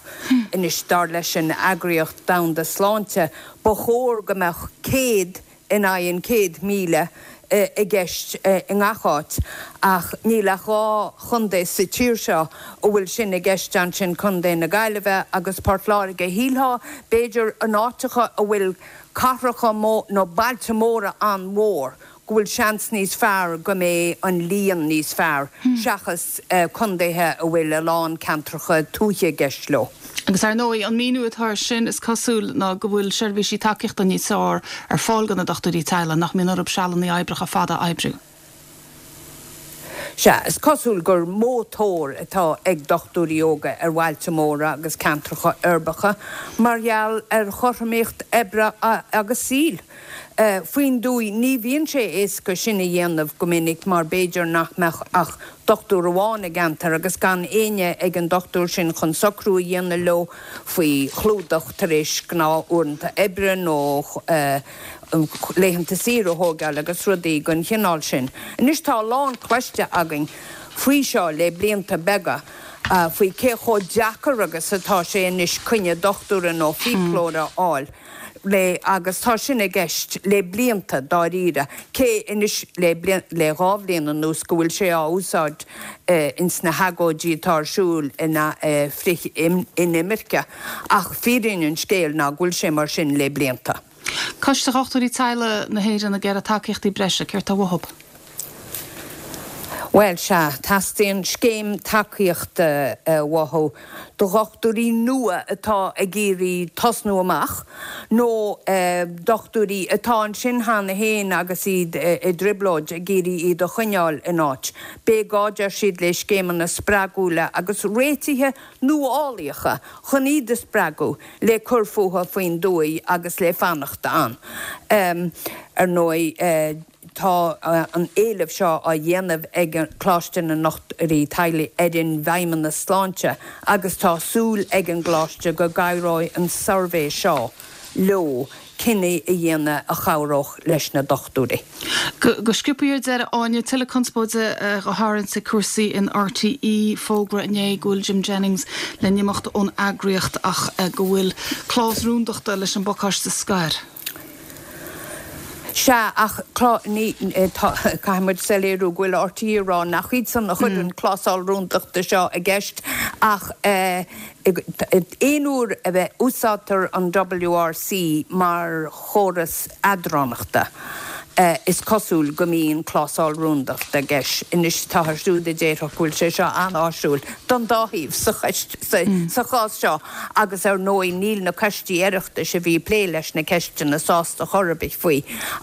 [SPEAKER 7] Anois, dar leis an Eagraíocht Domhanda Sláinte, ba chóir go mbeadh 100 in aghaidh an 100,000 i gceist i ngach áit, ach níl ach dhá chontae sa tír seo a bhfuil sin i gceist ansin, Contae na Gaillimhe agus Port Láirge. Shílfeá, b'fhéidir, in áiteacha a bhfuil cathracha nó bailte móra an-mhór, go bhfuil seans níos fearr go mbeidh an líon níos fearr seachas contaetha a bhfuil a lán ceantracha tuaithe i gceist leo.
[SPEAKER 1] Agus ar ndóigh, an míniú atá air sin, is cosúil, ná go bhfuil seirbhísí tacaíochta níos fearr ar fáil do na dochtúirí teaghlaigh, nach mbíonn orthu sealanna oibreacha fada a oibriú.
[SPEAKER 7] Sea, is cosúil gur mó tóir atá ag dochtúirí óga ar bhailte móra agus ceantracha uirbeacha mar gheall ar chothromaíocht oibre agus saoil. Faoin dtuaith, ní bhíonn sé éasca sin a dhéanamh go minic mar b'fhéidir nach mbeadh ach dochtúir amháin i gceantar agus gan éinne ag an dochtúir sin chun socrú a dhéanamh leo faoi chlúdach tar éis gnáth-uaireanta oibre nó laethanta saoire a thógáil agus rudaí den chineál sin. Anois tá a lán cloiste againn faoi seo le blianta beaga. faoi cé chomh deacair agus atá sé anois coinne dochtúra nó fiaclóra a fháil le agus tá sin i gceist le blianta dáiríre, cé anois le le 2 bhliain anuas go bhfuil sé á úsáid ins na hagóidí atá ar siúl ina frith inimirce ach fírinne an scéil ná go bhfuil sé mar sin le blianta.
[SPEAKER 1] Coiste Dhochtúirí Teaghlaigh na hÉireann ag iarraidh tacaíochtaí breise, céard tá uathub?
[SPEAKER 7] Bhuel, sea, teastaíonn scéim tacaíochta uathu do dhochtúirí nua atá ag iarraidh tosnú amach, nó dochtúirí atá ansin cheana féin agus iad i dtrioblóid, ag iarraidh iad a choinneáil in áit. Beidh gá, deir siad, le scéimeanna spreagúla agus réitithe nuálaíocha chun iad a spreagadh le cur fúthu faoin dtuaith agus le fanacht ann. Ar ndóigh, tá an éileamh seo á dhéanamh ag Coláiste na nDochtúirí Teaghlaigh ar an bhFeidhmeannas Sláinte agus tá súil ag an gcoláiste go gcabhróidh an suirbhé seo leo cinneadh a dhéanamh a chabhródh leis na dochtúirí.
[SPEAKER 1] Go sciobtha ar deireadh, Áine, tuilleadh conspóide á tharraingt ag cúrsaí in RTÉ. Fógra inné go bhfuil Jim Jennings le n-imeacht ón eagraíocht ach go bhfuil clásal rúndachta leis an bpacáiste scoir.
[SPEAKER 7] Sea, ach ní, tá, caithfidh muid soiléiriú go bhfuil RTÉ ag rá nach iadsan a chuir an clásal rúndachta seo i gceist ach aon uair a úsáidtear an WRC mar chóras eadránachta, is cosúil go mbíonn clásal rúndachta i gceist. Anois, táthar siúd a déarfadh go bhfuil sé seo an-áisiúil don dá thaobh sa chás seo agus ar ndóigh níl na coistí Oireachtais a bhí ag plé leis na ceisteanna sásta chor ar bith faoi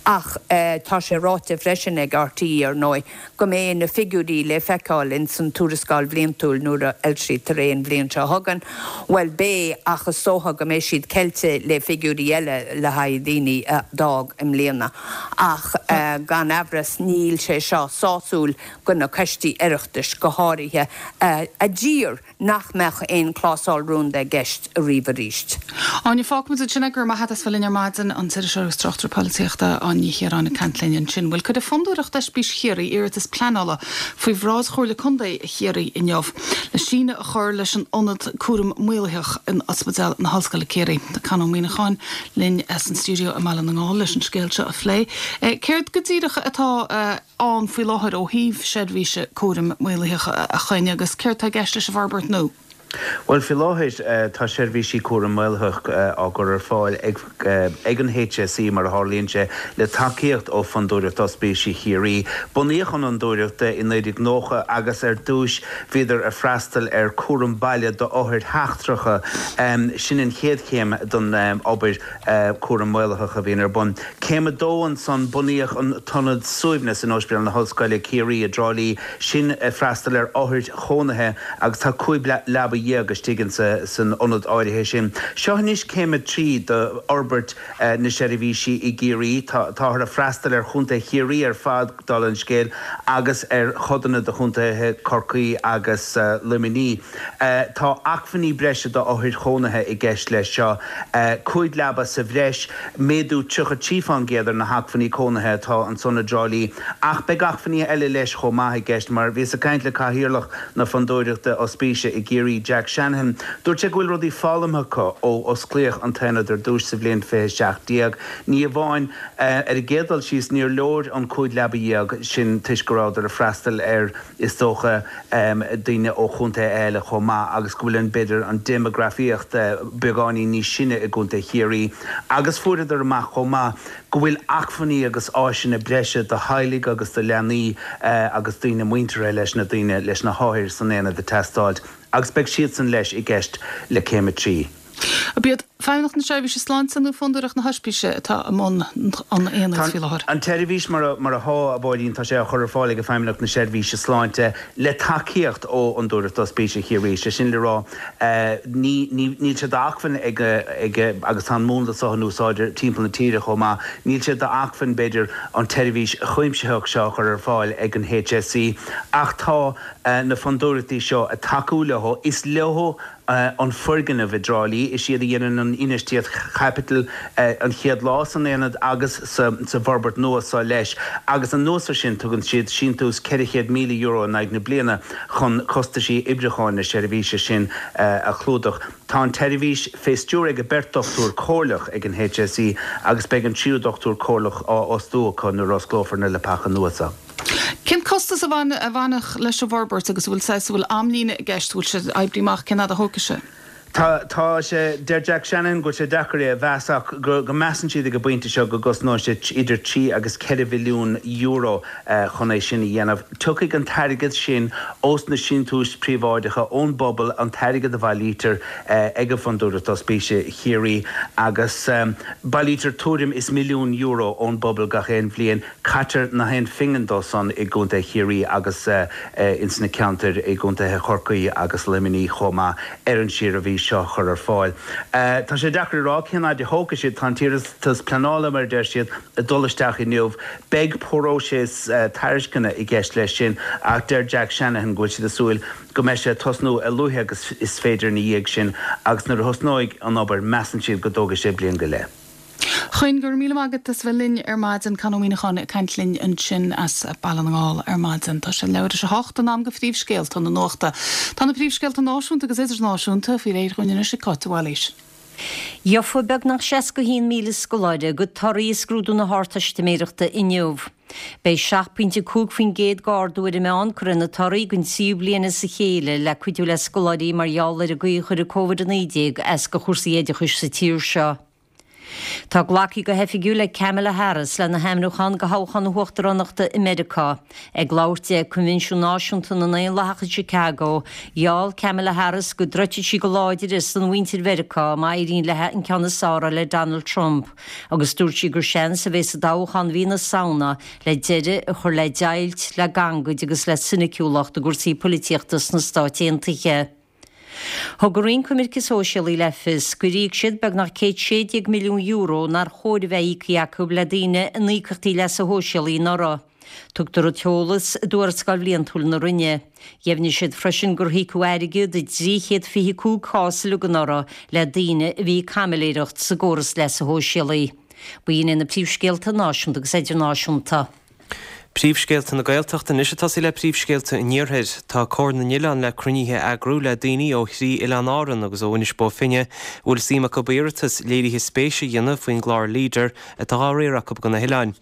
[SPEAKER 7] ach tá sé ráite freisin ag RTÉ ar ndóigh go mbeidh na figiúirí le feiceáil ins an tuarascáil bhliantúil nuair a fhoilsítear é an bhliain seo chugainn. Bhuel, beidh, ach is dócha go mbeidh siad ceilte le figiúirí eile le haghaidh daoine a d'fhág i mbliana. Ach gan amhras níl sé seo sásúil go na coistí Oireachtais go háirithe a d'iarr nach mbeadh aon clásal rúnda i gceist ariamh arís.
[SPEAKER 1] Áine, fágfaimid ansin é. Go raibh maith agat as bheith linn ar maidin, an t-iriseoir agus tráchtaire polaitíochta Áine Ní Chiaráin ag caint linn ansin. Bhuel, cuirfidh Fondúireacht Oispís Chiarraí iarratas pleanála faoi bhráid Chomhairle Contae Chiarraí inniu le síneadh a chur leis an ionad cúraim maolaitheach in Ospidéal na hOllscoile Ciarraí. Tá Con Ó Muíneacháin linn san stiúideo i mBaile na nGall leis an scéal seo a phlé. Céard go díreach atá ann faoi láthair ó thaobh seirbhíse cúraim maolaitheach a Choinn agus céard tá i gceist leis an bhforbairt nua?
[SPEAKER 8] Bhuel, faoi láthair tá seirbhísí cúraim maolaitheach á gcur ar fáil ag ag an HSE, mar a tharlaíonn sé, le tacaíocht ó Fondúireacht Ospísí Chiarraí. Bunaíodh an Fhondúireacht i 1990 agus ar dtúis bhíodar ag freastal ar cúram baile d'othair sheachtracha. Sin an chéad chéim don obair cúram maolaitheach a bhíonn ar bun. Céim a dó ansan, bunaíodh an tIonad Suaimhneas in Ospidéal na hOllscoile, Ciarraí, i dTrá Lí, sin ag freastal ar othair chónaithe agus tá 15 leaba istigh insa san ionad áirithe sin. Seo anois céim a 3 d'fhorbairt na seirbhísí i gCiarraí. Táthar ag freastal ar chontae Chiarraí ar fad, dála an scéil, agus ar chodanna de chontaetha Chorcaí agus Luimnigh. Tá acmhainní breise d'othair chónaithe i gceist leis seo, 5 leaba sa bhreis, méadú 33% ar na hacmhainní cónaithe atá ansan i dTrá Lí. Ach beidh acmhainní eile leis chomh maith i gceist, mar bhíos ag caint le Cathaoirleach na Fondúireachta Ospíse i gCiarraí, Jack Shanahan. Dúirt sé go bhfuil rudaí foghlamtha acu ó osclaíodh an t-aonad ar dtús sa bhliain 2017. Ní amháin Ar an gcéad dul síos, níor leor an 15 leaba sin toisc go rabhadar ag freastal ar, is dócha, daoine ó chontaetha eile chomh maith agus go bhfuil an, b'fhéidir, an déimeagrafaíocht beagáinín níos sine i gContae Chiarraí. Agus fuaireadar amach chomh maith go bhfuil acmhainní agus áiseanna breise do theaghlaigh agus do leanaí agus daoine muinteartha leis na daoine, leis na hothair san aonad ag teastáilt agus beidh siadsan leis i gceist le Céim 3.
[SPEAKER 1] Ab iad Feidhmeannacht na Seirbhíse Sláinte nó Fondúireacht na hOispíse atá i mbun an aonaid faoi láthair?
[SPEAKER 8] An tseirbhís mar atá, a Mháirín, tá sé á chur ar fáil ag Feidhmeannacht na Seirbhíse Sláinte le tacaíocht ó Fhondúireacht Ospíse Chiarraí. Sé sin le rá, níl sé d'acmhainn ag, agus tá an múnla seo in úsáid timpeall na tíre chomh maith, níl sé d'acmhainn, b'fhéidir, an tseirbhís chuimsitheach seo a chur ar fáil ag an HSE ach tá na fondúireachtaí seo ag tacú leo. Is leo an foirgneamh i dTrá Lí, is iad a dhéanann an. an infheistíocht chaipitil an chéad lá san aonad agus sa bhforbairt nua seo leis agus anuas ar sin tugann siad síntiús €400,000 in aghaidh na bliana chun costaisí oibriúcháin na seirbhíse sin a chlúdach. Tá an tseirbhís fé stiúir ag beirt dochtúir comhairleach ag an HSE agus beidh an tríú dochtúir comhairleach á fhostú acu nuair a osclófar na leapacha nua seo.
[SPEAKER 1] Cén costas a bhainfeadh leis an bhforbairt agus an bhfuil saghas, an bhfuil amlíne i gceist, an bhfuil sé oibrithe amach cén fhad a thógfaidh sé?
[SPEAKER 8] Tá, tá sé, deir Jack Shanahan go bhfuil sé deacair é a mheas ach go go measann siad ag an bpointe seo go gcosnóidh sé idir trí agus €4 mhilliún chun é sin a dhéanamh. Tiocfaidh an t-airgead sin ós na síntiúis phríobháideacha, ón bpobal, an t-airgead a bhailítear ag an Fondúireacht Ospíse Chiarraí agus bailítear tuairim is €1 milliún ón bpobal gach aon bhliain. Caitear nach aon phingin dó san i gContae Chiarraí agus ins na ceantair i gContaetha Chorcaí agus Luimnigh chomh maith ar an tseirbhís seo a chur ar fáil. Tá sé deacair a rá cén fhaid a thógfaidh siad. Tá an t-iarratas pleanála, mar a deir siad, ag dul isteach inniu. Beidh próiseas tairisceana i gceist leis sin ach deir Jack Shanahan go bhfuil siad ag súil go mbeidh sé ag tosnú a luaithe agus is féidir ina dhiaidh sin agus nuair a thosnóidh an obair measann siad go dtógfaidh sé bliain go leith.
[SPEAKER 1] Choinn, go raibh míle maith agat as a bheith linn ar maidin. Con Ó Muíneacháin ag caint linn ansin as Baile na nGall ar maidin. Tá sé leathuair tar éis a 8, in am do phríomhscéalta na nuachta. Tá na príomhscéalta náisiúnta agus idirnáisiúnta faoi réir dhúinn anois ag Cáit de Bhailís.
[SPEAKER 2] Gheofa beagnach 61,000 scoláire a gcuid torthaí i scrúdú na hArdteistiméireachta inniu. Beidh 7.5% d'ardú ar an meán curtha ar na torthaí don tríú bliain as a chéile le cuidiú le scoláirí mar gheall ar an gcaoi a chuir Covid-19 as do chúrsaí oideachais sa tír seo. Tá glactha go hoifigiúil ag Kamala Harris lena hainmniúchán do thoghchán na huachtaránachta i Meiriceá. Ag labhairt di ag Coinbhinsiún Náisiúnta na nDaonlathach i Chicago, gheall Kamala Harris go dtroidfidh sí go láidir ar son mhuintir Mheiriceá má éiríonn léi an ceann is fearr a fháil ar Donald Trump agus dúirt sí gur seans a bheidh sa dtoghchán mhí na Samhna le deireadh a chur le deighilt, le gangaid agus le soiniciúlacht i gcúrsaí poilitíochta sna Stáit Aontaithe. Thug an Roinn Coimirce Sóisialaí le fios gur íoc siad beagnach €116 milliún nár chóir a bheith íoctha acu le daoine in íocaíochtaí leasa shóisialaigh anuraidh. Tugtar an t-eolas i dtuarascáil bhliantúil na Roinne. Dheimhnigh siad freisin gur híocadh airgead i 325 cás uilig anuraidh le daoine a bhí ag caimiléireacht sa gcóras leasa shóisialaigh. B'in iad na príomhscéalta náisiúnta agus idirnáisiúnta.
[SPEAKER 3] Príomhscéalta na Gaeltachta anois ag tosaí le príomhscéalta an Iarthair. Tá Comhar na nOileán le cruinnithe a eagrú le daoine ó thrí oileán Árann agus ó Inis Bó Finne a bhfuil suim acu iarratas léirithe spéise a dhéanamh faoin gclár Leader atá á riar acu do na hoileáin.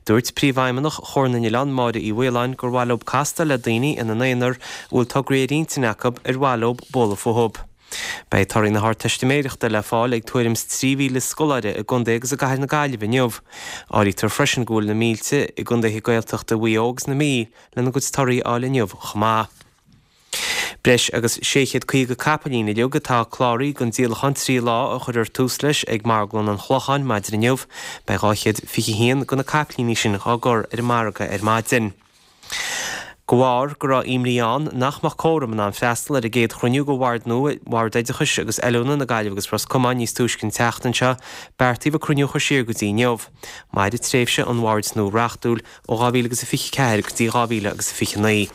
[SPEAKER 3] Dúirt Príomhfheidhmeannach Chomhar na nOileán, Máire Uí Mhaoláin, gur mhaith leo castáil le daoine ina n-aonar a bhfuil tograí ar intinn acu ar mhaith leo bualadh fúthu. Beidh torthaí na hArdteistiméireachta le fáil ag tuairim is 3,000 scoláire i gcontae agus i gcathair na Gaillimhe inniu. Áirítear freisin go bhfuil na mílte i gcontaetha Gaeltachta Mhaigh Eo agus na Mí lena gcuid torthaí a fháil inniu chomh maith. Breis agus 650 capaillín uilig atá cláraithe don díolachán 3 lá a chuirfear tús leis ag Marglann an Chlocháin maidin inniu. Beidh 221 de na caipilíní sin á gcur ar an margadh ar maidin. De bharr go raibh imní ann nach mbeadh córam in ann freastal ar an gcéad chruinniú de Bhord nua Bhord Oideachais agus Oiliúna na Gaillimhe agus Ros Comáin níos túisce an tseachtain seo, beartaíodh an cruinniú a chur siar go dtí inniu. Mairfidh tréimhse an bhoird nua reachtúil ó 2024 go dtí 2029.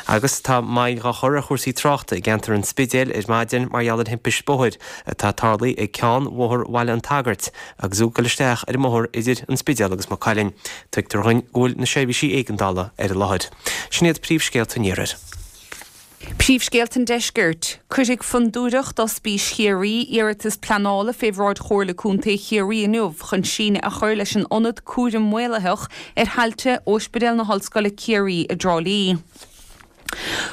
[SPEAKER 3] Agus tá moill dhá chur ar chúrsaí tráchta i gceantar an Spidéil ar maidin mar gheall ar thimpist bóthair atá tarlaithe ag ceann Bhóthar Bhaile an tSagairt agus tú ag dul isteach ar an mbóthar idir an Spidéal agus Maigh Cuilinn. Tuigtear dhuinn go bhfuil na seirbhísí éigeandála ar an láthair. Sin iad príomhscéalta an Iarthair.
[SPEAKER 7] Príomhscéalta an Deiscirt. Cuirfidh Fondúireacht Ospís Chiarraí iarratas pleanála fé bhráid Chomhairle Contae Chiarraí inniu chun síneadh a chur leis an Ionad Cúraim Maolaitheach ar thailte Ospidéal na hOllscoile Ciarraí i dTrá Lí.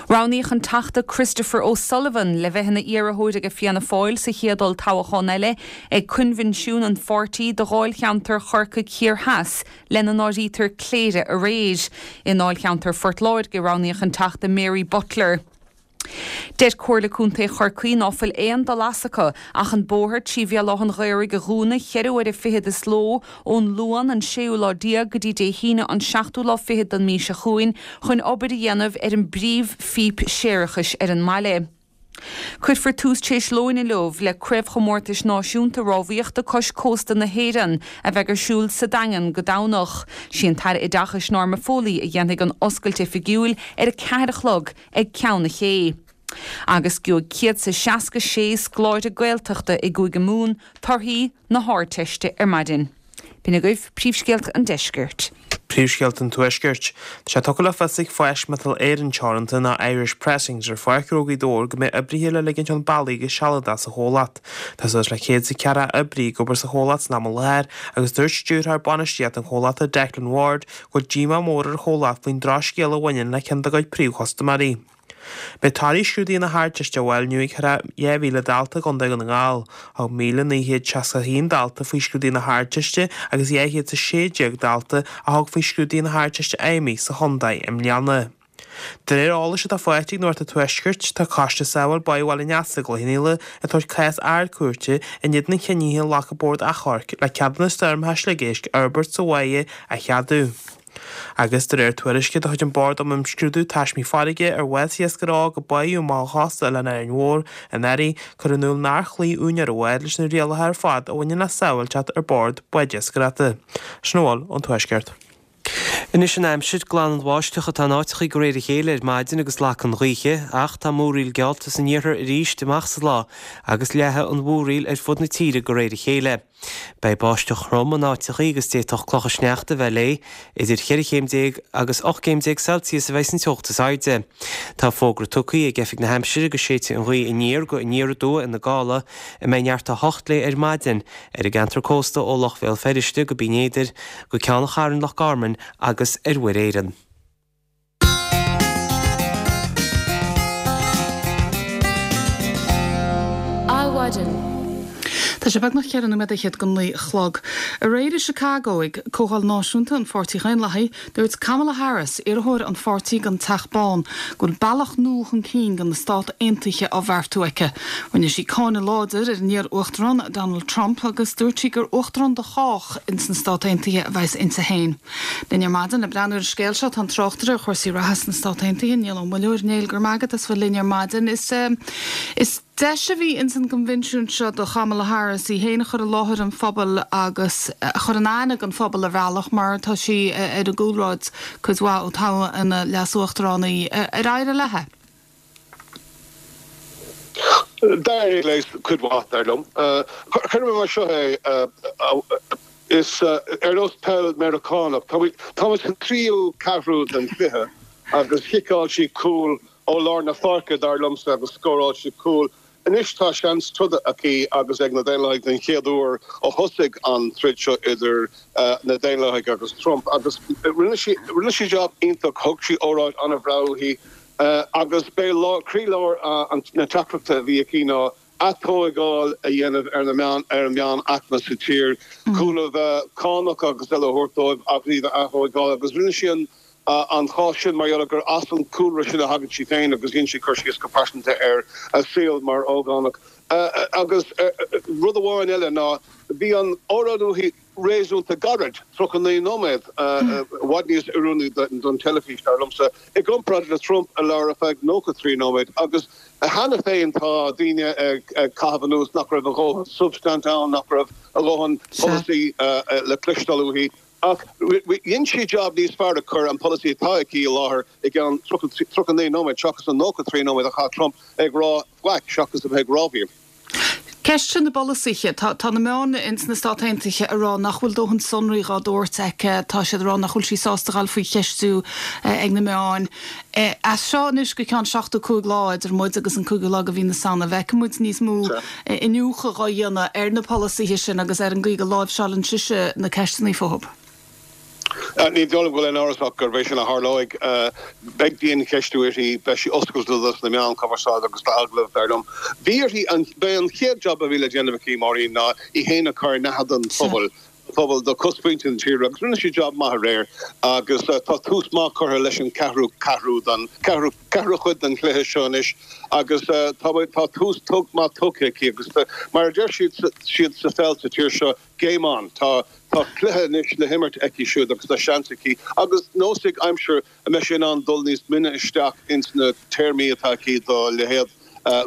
[SPEAKER 7] Roghnaíodh an Teachta Christopher O'Sullivan le bheith ina iarrthóir aige Fianna Fáil sa chéad olltoghchán eile ag coinbhinsiún an pháirtí do dháilcheantar Chorcaigh Thiar Theas, lena n-áirítear Cléire aréir. I ndáilcheantar Phort Láirge roghnaíodh an Teachta Mary Butler. Deir Comhairle Contae Chorcaí ná fuil aon dul as acu ach an bóthar trí Bhéal Átha'n Ghaorthaidh a dhúnadh cheithre huaire fichead is ló ón Luan an séú lá déag go dtí Dé hAoine an seachtú lá fichead den mhí seo chugainn chun obair a dhéanamh ar an bpríomh-phíp séarachais ar an mbaile. Cuirfear tús tar éis lóin inniu le Craobhchomórtais Náisiúnta Rámhaíochta Cois Cósta na hÉireann a bheidh ar siúl sa Daingean go Domhnach. Sí an tAire Oideachais Norma Foley a dhéanfaidh an oscailt oifigiúil ar a ceathair a chlog ag Ceann na Cé.
[SPEAKER 9] Agus gheobhaidh 166 scoláire Gaeltachta i gCúige Mumhan torthaí na hArdteiste ar maidin. B'in agaibh príomhscéalta an deiscirt.
[SPEAKER 4] Príomhscéalta an Tuaiscirt. Tá sé tugtha le fios ag Fáisc Miotal Éireann Teoranta ná Irish Pressings ar Pháirc Ghnó Ghaoth Dobhair go mbeidh oibrithe le ligint chun bealaigh go sealadach sa chomhlacht. Tá suas le 104 oibrí ag obair sa chomhlacht san am i láthair agus dúirt Stiúrthóir Bainistíochta an chomhlachta Declan Ward go bhfuil díomá mór ar an chomhlacht faoin drochscéal a bhaineann le ceann dá gcuid príomhchustaiméirí. Beidh torthaí scrúduithe na hArdteiste á bhfáil inniu ag thar 2,000 dalta i gContae Dhún na nGall. Thug 1,961 dalta faoi scrúduithe na hArdteiste agus 216 dalta a thug faoi scrúduithe na hArdteiste Fheidhmí sa chontae i mbliana. De réir eolais atá faighte ag Nuacht an Tuaiscirt, tá Coiste Sábháil Báigh Bhaile an Easa i gCloich Cheann Fhaola ag tabhairt cás Ard-Chúirte in éadan an chinnidh a ghlac an Bord Achomhairc le ceadúnas stoirmeacha sliogéisc a fhorbairt sa bháigh a cheadú. Agus de réir tuairisce de chuid an Bord um Imscrúdú Taismí Farraige ar bhásaigh iascaire óg a báitheadh amach ó chósta Oileán Árainn Mhór anuraidh, cuireadh in iúl nár chloígh úinéir an bháid leis na rialacha ar fad a bhaineann le sábháilteacht ar bord báid iascaireachta. Sin a bhfuil ón Tuaisceart.
[SPEAKER 3] Anois an aimsir, glanann an bháisteach atá in áiteachaí de réir a chéile ar maidin agus lagann an ghaoth, ach tá múraíl geallta san iarthar arís amach sa lá agus leathfaidh an mhúraíl ar fud na tíre de réir a chéile. Beidh báisteach throm in áiteachaí agus d'fhéadfadh clocha sneachta a bheith léi. Idir cheithre chéim déag agus 18 gcéim Celsius a bheidh san teocht is airde. Tá fógra tugtha ag Oifig na hAimsire go séidfidh an ghaoth aniar go aniar aduaidh ina gála, a mbeidh neart 8 léi ar maidin, ar an gceantar cósta ó Loch Bhéal Feirste go Binn Éadair, go Ceann an Chairn Loch Garman agus ar Mhuir Éireann.
[SPEAKER 1] Adhmhaidin. Tá sé beagnach cheithre nóiméad fhichead go naoi a chlog. Aréir i Chicago, ag Comhdháil Náisiúnta an Pháirtí Dhaonlathaigh, dúirt Kamala Harris, iarrthóir an pháirtí don Teach Bán, go bhfuil bealach nua chun cinn do na Stát Aontaithe á bheartú aici. Rinne sí cáineadh láidir ar an iar-uachtarán Donald Trump agus dúirt sí gur uachtarán do chách ins na Stát Aontaithe a bheas inti féin. Linn ar maidin le breathnú ar an scéal seo tá an tráchtaire ar chúrsaí reatha sna Stát Aontaithe, Niall Ó Muilleoir. Néill, go raibh maith agat as bheith linn ar maidin. Is is deis a bhí ins an gcoinbhinsiún seo do Kamala Harris í féin a chur i láthair an phobail agus a chur in aithne don phobal ar bhealach mar tá sí ar an gcúlráid cuid mhaith ó toghadh ina leas-uachtarán í. Ar éirigh léi?
[SPEAKER 10] D'éirigh léi cuid mhaith, dar liom. Cuirim mar seo é, is ar nós peil Meiriceánach, táimid sa tríú ceathrú den chluiche agus chiceáil sí cúl ó lár na páirce, dar liomsa, agus scóráil sí cúl. Anois tá seans troda aici agus ag na Daonlathaigh den chéad uair ó thosaigh an troid seo idir na Daonlathaigh agus Trump agus rinne sí rinne sí jab iontach, thug sí óráid an-bhreá uaithi agus b'é croílár na teachtaireachta a bhí aici ná atógáil a dhéanamh ar na meán ar an meánaicme sa tír, cúnamh cánach agus eile a thabhairt dóibh agus iad a athógáil agus rinne sí an an chás sin mar gheall gur as an gcúlra sin a thagann sí féin agus dhein sí cur síos go pearsanta ar a saol mar ógánach. Agus rud amháin eile ná bhí an óráid uaithi réasúnta gairid, 39 nóiméad, i bhfad níos oiriúnaí don teilifís, dar liomsa, i gcomparáid le Trump a labhair ar feadh 93 nóiméad. Agus cheana féin tá daoine ag caitheamh anuas nach raibh a dhóthain substaint ann, nach raibh a dhóthain polasaí le cloisteáil uaithi. Ach dhein sí jab níos fearr ag cur an polasaí atá aici i láthair i gceann 39 nóiméad seachas an 93 nóiméad a chaith Trump ag rá faic seachas a bheith ag rámhaíl.
[SPEAKER 1] Ceist sin na bpolasaithe. Tá na meáin ins na Stát Aontaithe ag rá nach bhfuil dóthain sonraí dhá dtabhairt aici. Tá siad ag rá nach bhfuil sí sásta dhul faoi cheistiú ag na meáin. As seo anois go ceann 75 lá idir muid agus an cúigiú lá de mhí na Samhna, feicfidh muid níos mó iniúchadh dhá dhéanamh ar na polasaithe sin agus ar an gcaoi go láimhseálann sise na ceisteanna fúthu.
[SPEAKER 10] Ní dóigh liom go bhfuil aon amhras ach gurb é sin a tharlóidh. Beidh diancheistiú uirthi, beidh sí oscailte dos na meáin chumarsáide agus d'agallaimh, dar liom. Bhí uirthi, b'é an chéad jab a bhí le déanamh aici, Máirín, ná í féin a chur in aithne don phobal, pobal, do chosmhuintir na tíre agus rinne sí jab maith aréir agus tá tús maith curtha leis an ceathrú ceathrú den, ceathrú, ceathrú chuid den chluiche seo anois agus tá, tá tús maith tugtha aici agus mar a deir siad, siad sa pheil sa tír seo, Game on! Tá tá cluiche anois le himirt aici siúd agus tá seans aici agus neosfaidh aimsir an mbeidh sí in ann dul níos mine isteach ins na téarmaí atá aici do leithéid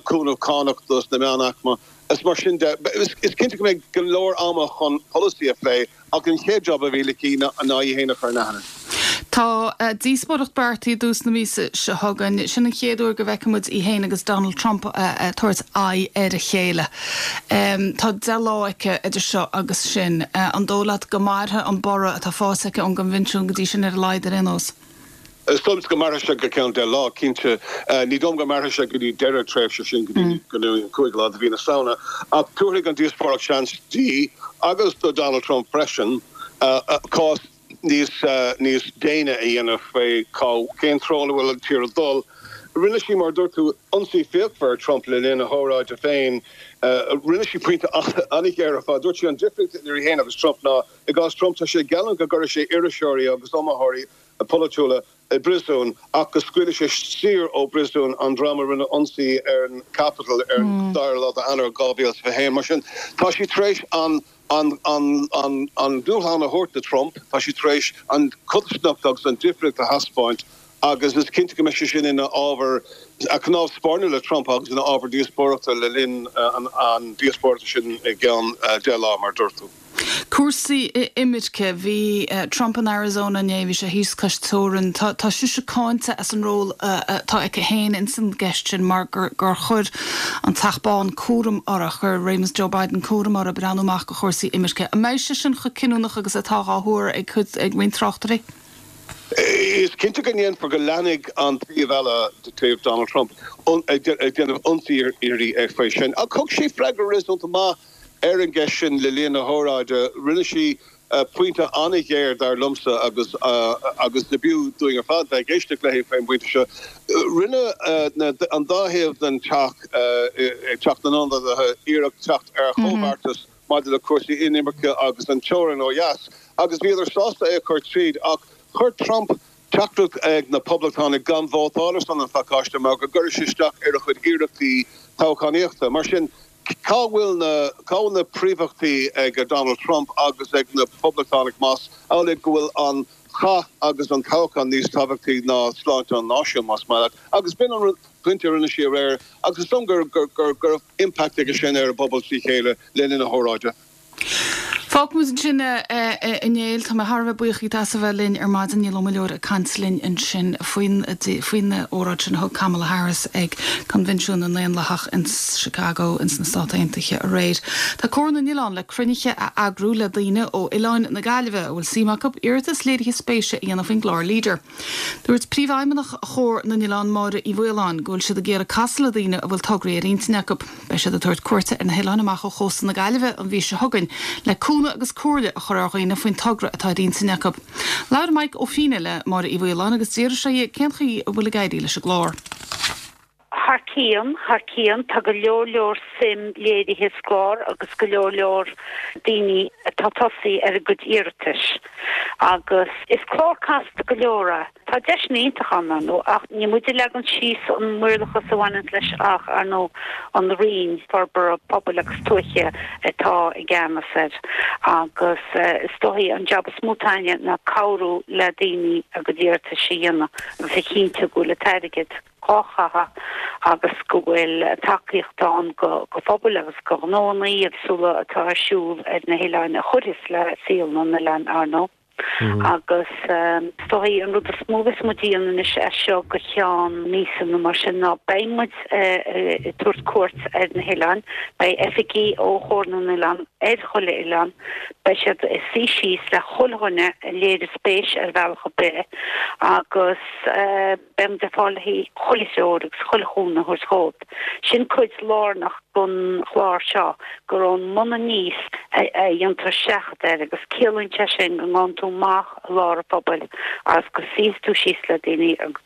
[SPEAKER 10] cúnamh cánach dos na meánaicme is mar sin de. Is cinnte go mbeidh go leor ama chun polasaí a phlé ach an chéad job a bhí aici ná í féin a chur in aithne.
[SPEAKER 1] Tá díospóireacht beartaithe i dtús na míosa seo chugainn. Sin an chéad uair go bhfeicfidh muid í féin agus Donald Trump ag tabhairt aghaidh ar a chéile. Tá 10 lá aici idir seo agus sin. An dóigh leat go mairfidh an borradh atá faighte aici ón gcoinbhinsiún go dtí sin ar a laghad ar aon nós?
[SPEAKER 10] Is dóigh liomsa go mairfidh sé go ceann 10 lá, cinnte. Ní dóigh liom go mairfidh sé go dtí deireadh tréimhse sin, go dtí go dtí an cúigiú lá de mhí na Samhna. Ach tabharfaidh an díospóireacht seans di, agus do Donald Trump freisin, cás níos níos déine a dhéanamh faoi cá cén treo ina bhfuil an tír ag dul. Rinne sí, mar a dúirt tú, ionsaí fíochmhar ar Trump le linn a hóráide féin. Rinne sí pointe an-ghéar ar fad. Dúirt sí an difríocht idir í féin agus Trump ná, i gcás Trump, tá sé ag geallúint go gcuirfidh sé iriseoirí agus iomaitheoirí polaitiúla i bpríosún ach go scaoilfidh sé saor ó phríosún an dream a rinne ionsaí ar an Capitol ar an dara lá d'Eanáir 2021. Mar sin, tá sí tar éis an an an an an dúshlán a thabhairt do Trump, tá sí tar éis an chodarsnacht agus an difríocht a thaispeáint agus is cinnte go mbeidh sé sin ina ábhar cnámh spairne le Trump agus ina ábhar díospóireachta le linn an an díospóireachta sin i gceann 10 lá, mar a dúirt tú.
[SPEAKER 1] Cúrsaí imirce, Bhí Trump in Arizona inné, bhí sé thíos cois teorann. Tá tá sise cáinte as an ról atá aici féin ins an gceist sin mar gur gur chuir an Teach Bán cúram uirthi, chuir réimeas Joe Biden cúram uirthi breathnú amach do chúrsaí imirce. An mbeidh sé sin chomh cinniúnach agus atá dhá thuar ag cuid ag roinnt tráchtairí?
[SPEAKER 10] Is cinnte go ndéanfar go leanfaidh an taobh eile, taobh Donald Trump, ag déanamh ionsaí uirthi faoi sin. Ach thug sí freagra réasúnta maith Ar an gceist sin le linn a hóráide, rinne sí pointe an-ghéar, dar liomsa, agus agus b'fhiú dúinn ar fad bheith ag éisteacht léi faoin bpointe seo. Rinne an dá thaobh den Teach, Teach na nIonadaithe, iarracht teacht ar chomhbheartas maidir le cúrsaí inimirce agus an teorainn ó dheas, agus bhíodar sásta é a chur tríd, ach chuir Trump teachtaireacht ag na Poblachtánaigh gan vótáil ar son an phacáiste mar go gcuirfeadh sé isteach ar a chuid iarrachtaí toghchánaíochta. Mar sin, cá bhfuil na, cá bhfuil na príomhachtaí ag Donald Trump agus ag na Poblachtánaigh más amhlaidh go bhfuil an chath agus an toghchán níos tábhachtaí ná sláinte an náisiúin, más maith leat. Agus b'in an pointe a rinne sí aréir agus is dóigh liom gur, gur, go raibh impact aige sin ar an bpobal trí chéile le linn a hóráide.
[SPEAKER 1] Fágfaidh muid ansin é, a Néill. Tá mé thar a bheith buíoch díot as a bheith linn ar maidin. Niall Ó Muilleoir ag caint linn ansin faoin faoin óráid sin a thug Kamala Harris ag Coinbhinsiún na nDaonlathach in Chicago ins na Stáit Aontaithe aréir. Tá Comhar na nOileán le cruinnithe a eagrú le daoine ó oileáin na Gaillimhe a bhfuil suim acu iarratas léirithe spéise a dhéanamh faoin gclár Leader. Dúirt Príomhfheidhmeannach Chomhar na nOileán Máire Uí Mhaoláin go bhfuil siad ag iarraidh casadh le daoine a bhfuil tograí ar intinn acu. Beidh siad ag tabhairt cuairte ar na hoileáin amach ó chósta na Gaillimhe an mhí seo chugainn le cúnamh agus comhairle a chur ar dhaoine faoin togra atá ar intinn acu. Labhair Mike Ó Fianna le Máire Uí Mhaoláin agus d'fhiafraigh sé dhi cén chaoi a bhfuil ag éirí leis an gclár.
[SPEAKER 11] Thar cionn, thar cionn. Tá go leor leor suim léirithe sa gclár agus go leor leor daoine atá tosaithe ar a gcuid iarratais. Agus is clár casta go leor é. Tá deiseanna iontacha ann, ar ndóigh, ach ní muid a leagann síos an maorlathas a bhaineanns leis ach, ar ndóigh, an Roinn Forbartha Pobail agus Tuaithe atá i gceannas air. Agus is dóichí an jab is mó atá againne ná cabhrú le daoine a gcuid iarratais a dhéanamh agus a chinntiú go bhfuil an t-airgead dhá chaitheamh agus go bhfuil tacaíocht ann go phobail agus go ghnóanna éagsúla atá ar siúl ar na hoileáin a chuirfeas le saol na n-oileán, ar ndóigh. Agus is dóichí an rud is mó a bheas muid a dhéanamh anois as seo go ceann míosa nó mar sin ná beidh muid ag tabhairt cuairt ar na hoileáin. Beidh oifigigh ó Chomhar na nOileán ar chuile oileán. Beidh siad ag suí síos le chuile dhuine a léirigh spéis ar bhealach ar bith agus beidh muid ar fáil le haghaidh chuile threoir agus chuile chúnamh a thabhairt dhóibh. Sin cuid lárnach den chlár seo, gur ón mbun aníos a dhéantar seachadadh air agus ciallaíonn sé sin go ngabhann tú amach i lár an phobail agus go suíos tú síos le daoine agus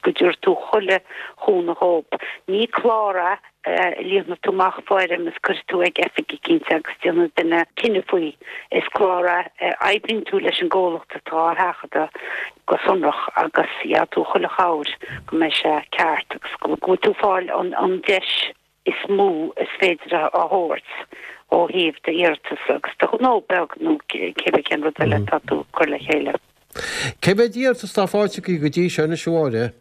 [SPEAKER 11] go dtabharfaidh tú chuile chúnamh dhóibh. Ní clár é a líonfaidh tú amach foirm is cuirfidh tú ag oifig eicínt agus déanfaidh duine cinneadh faoi. Is clár é a oibríonn tú leis an gcomhlacht atá á sheachadadh go sonrach agus gheobhaidh tú chuile chabhair go mbeidh sé ceart agus go bhfuil tú ag fáil an deis is mó is féidir a thabhairt ó thaobh d'iarratas agus do ghnó beag nó cébí cén rud eile atá tú ag cur le chéile.
[SPEAKER 12] Cé mhéad iarratas atá faighte agaibh go dtí seo anois, a Mháire?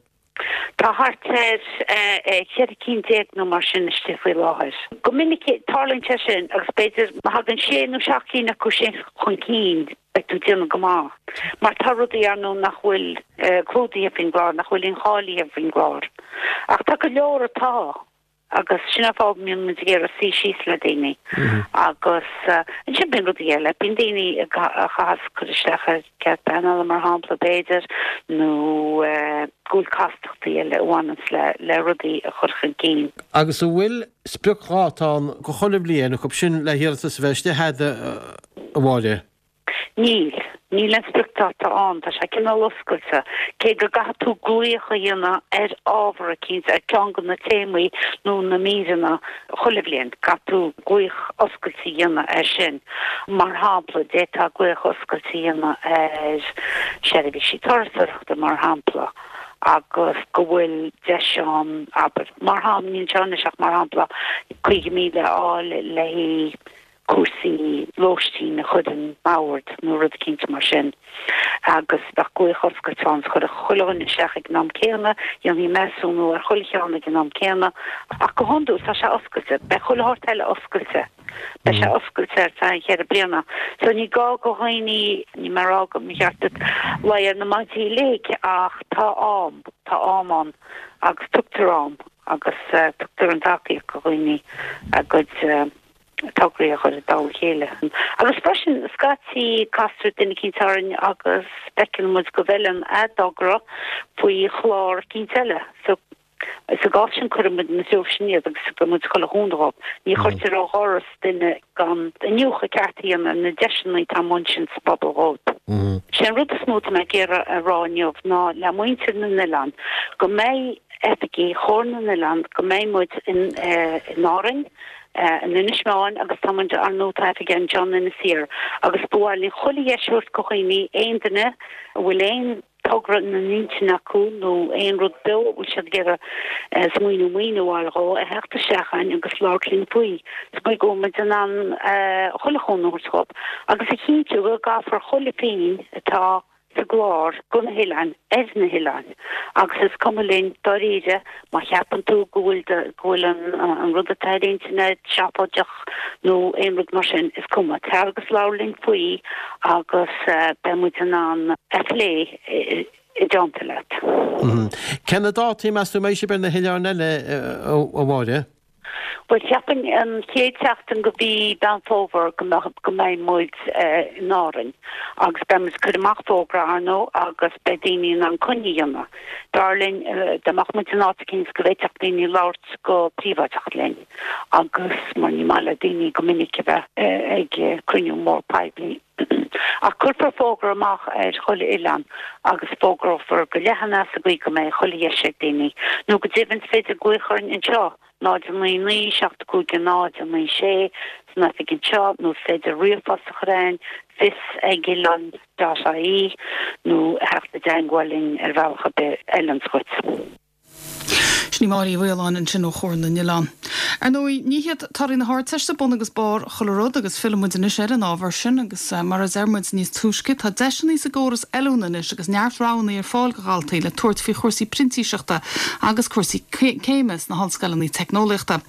[SPEAKER 11] Tá thart ar 14 cinn nó mar sin istigh faoi láthair. Go minic tarlaíonn sé sin agus b'fhéidir má thagann sé nó seacht gcinn acu sin chun cinn beidh tú ag déanamh go maith. Mar tá rudaí ar ndóigh nach bhfuil clúdaithe faoin gclár, nach bhfuil incháilithe faoin gclár. Ach tá go leor atá. Agus sin an fáth go mbíonn muid ag iarraidh suí síos le daoine. Agus ansin bíonn rudaí eile, bíonn daoine a chaitheas cur isteach ar cead pleanála mar shampla b'fhéidir, nó go bhfuil castachtaí eile a bhaineanns le le rudaí a chur chun cinn.
[SPEAKER 12] Agus an bhfuil spriocdháta ann go chuile bhliain acu sin le hiarratas a bheith istigh a'd, a Mháire?
[SPEAKER 11] Níl. Níl aon spriocdháta ann. Tá sé cineál oscailte. Cé go gcaithfidh tú glaoch a dhéanamh ar ábhar eicínt, ar ceann de na téamaí nó na míreanna chuile bhliain, caithfidh tú glaoch oscailte a dhéanamh air sin. Mar shampla, d'fhéadfá glaoch oscailte a dhéanamh ar sheirbhísí turasóireachta, mar shampla, agus go bhfuil deis ann, abair, mar shampla, níl anseo anois ach mar shampla, 50,000 a fháil le haghaidh cúrsaí lóistín a chur i mbord nó rud eicínt mar sin agus bheadh glaoch oscailte ann is chuirfeadh chuile dhuine isteach ag an am céanna, dhéanfaí measúnú ar chuile cheann ag an am céanna ach go hiondúil tá sé oscailte, beidh chuile shórt eile oscailte, beidh sé oscailte ar feadh an cheithre bliana so ní gá go dhaoine, níl mé ag rá go mba cheart duit luí ar na maidí uilig ach tá am, tá am ann agus tugtar am agus tugtar an tacaíocht go dhaoine a gcuid. tograí a chur i dtoll a chéile. Agus freisin, scaití castar duine eicínt orainn agus feiceann muid go bhfeileann a dtogra faoi chlár eicínt eile. So, sa gcás sin cuireann muid ina threo sin iad agus tugann muid chuile chúnamh dhóibh. Ní chuirtear ó dhoras duine gan iniúchadh ceart a dhéanamh ar na deiseanna atá amuigh ansin sa bpobal dhóibh. Sé an rud is mó atá mé ag iarraidh a rá inniu ná le muintir na n-oileán go mbeidh oifigí Chomhar na nOileán, go mbeidh muid in Árainn, in Inis Meáin agus tá muid ar ndóigh tá oifig anseo in Inis Oírr agus ba mhaith linn chuile dheis a thabhairt go dhaoine, aon duine a bhfuil aon togra ina n-intinn acu nó aon rud beo a bhfuil siad ag iarraidh smaoineamh maoiniú a fháil dhó, a theacht isteach chugainn agus labhairt linn faoi sa gcaoi go bhfuil muid in ann chuile chúnamh a thabhairt dhóibh agus a chinntiú go gcaithfear chuile phingin atá sa gclár go na hoileáin ar na hoileáin agus is cuma linn dáiríre má cheapann tú go bhfuil do go bhfuil an an rud atá ar intinn agat seafóideach nó aon rud mar sin is cuma tar agus labhair linn faoi agus beidh muid in ann a phlé i dteannta leat.
[SPEAKER 12] Cé na dátaí meas tú a mbeidh sibh ar na hoileáin eile a Mháire?
[SPEAKER 11] Bhuel, cheapfainn an chéad tseachtain de mhí Mheán Fómhair go mbeadh, go mbeidh muid in Árainn agus beidh muid ag cur amach fógra, ar ndóigh, agus beidh daoine in ann coinne a dhéanamh. B'fhearr linn dá mbeadh muid in áit eicínt go bhféadfadh daoine labhairt go príobháideach linn agus mar ní maith le daoine go minic a bheith ag cruinniú mór poiblí. Ach cuirfear fógra amach ar chuile oileán agus fógrófar go leathan é sa gcaoi go mbeidh chuile dheis ag daoine. Nó go deimhin is féidir glaoch orainn anseo, 0 9 9 7 5 0 9 6, san oifig anseo, nó is féidir ríomhphost a chur chugainn, fios ag oilean dot ie, nó theacht i dteangmháil linn ar bhealach ar bith a fheileanns dhuit.
[SPEAKER 1] Sin í Máire Uí Mhaoláin ansin ó Chomhar na nOileán. Ar ndóigh, ní hiad torthaí na hArdteiste bun agus barr chuile rud agus fillfidh muid anois ar an ábhar sin agus mar a deir muid níos túisce, tá deiseanna sa gcóras oiliúna anois agus neart roghanna ar fáil do dhaltaí le tabhairt faoi chúrsaí printíseachta agus cúrsaí céime sna hollscoileanna teicneolaíochta.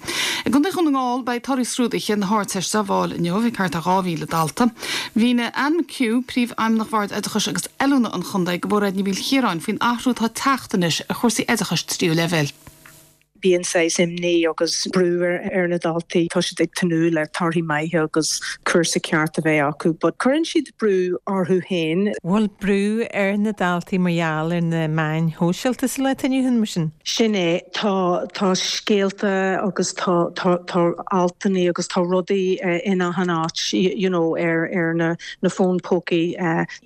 [SPEAKER 1] I gContae Dhún na nGall, beidh torthaí scrúduithe na hArdteiste á bhfáil inniu ag thart ar 2,000 dalta. Mhínigh Anne McHugh, Príomhfheidhmeannach Bhord Oideachais agus Oiliúna an Chontae, do Mhairéad Ní Mhaoilchiaráin faoin athrú atá ag teacht anois ar chúrsaí oideachais tríú leibhéil.
[SPEAKER 13] Bíonn saghas imní agus brú ar na daltaí. Tá siad ag tnúth le torthaí maithe agus cúrsa ceart a bheith acu but cuireann siad brú orthu féin.
[SPEAKER 5] Bhfuil brú ar na daltaí mar gheall ar na meáin shóisialta sa lá atá inniu ann, mar sin?
[SPEAKER 13] Sin é. Tá, tá scéalta agus tá, tá, tá altanna agus tá rudaí in achan áit you know ar, ar na, na fóin pócaí.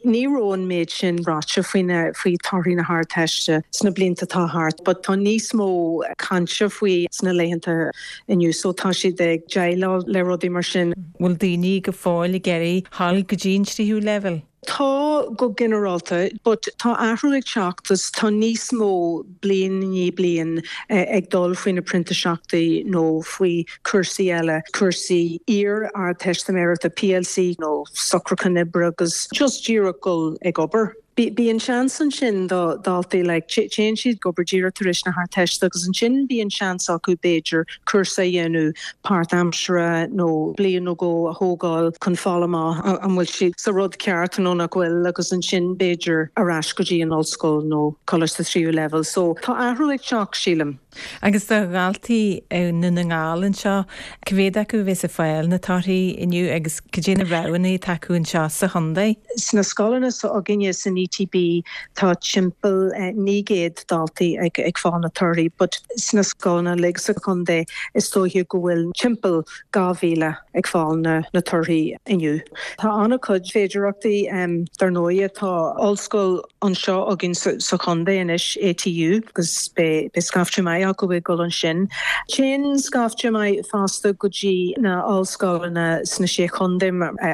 [SPEAKER 13] Ní raibh an méid sin ráite faoi torthaí na hArdteiste sna blianta atá thart but tá níos mó cainte faoi sna laethanta inniu so tá siad ag déileáil le rudaí mar sin.
[SPEAKER 5] Bhfuil daoine go fóill ag iarraidh dhul go dtí an tríú leibhéal?
[SPEAKER 13] Tá go ginearálta but tá athrú ag teacht is tá níos mó bliain i ndiaidh bliain ag dul faoi na printiseachtaí nó faoi chúrsaí eile, cúrsaí iar-Ardteistiméireachta, PLC, nó socrúchán oibre agus just díreach dul ag obair. Bíonn seans ansin do dhaltaí like téann siad ag obair díreach tar éis na hArdteiste agus ansin bíonn seans acu b'fhéidir cúrsa a dhéanamh páirtaimseartha nó bliain nó dhó a thógáil chun fáil amach an bhfuil siad sa rud ceart nó nach bhfuil agus ansin b'fhéidir ar ais go dtí an ollscoil nó coláiste tríú leibhéal. So tá athrú ag teacht sílim.
[SPEAKER 5] Agus do dhaltaí i nDún na nGall anseo, cá mhéad acu a bheas ag fáil na torthaí inniu agus cad é na roghanna atá acu anseo sa chontae?
[SPEAKER 13] Sna scoileanna s'againne san ETB tá timpeall 900 daltaí ag fáil na torthaí but sna scoileanna uilig sa chontae is dóiche go bhfuil timpeall 2,000 ag fáil na torthaí inniu. Tá an-chuid féidearthachtaí dar ndóighe. Tá ollscoil anseo againn sa chontae anois, ATU, agus beidh scaifte maith acu ag dul ansin. Téann scaifte maith fosta go dtí na ollscoileanna sna Sé Chontae,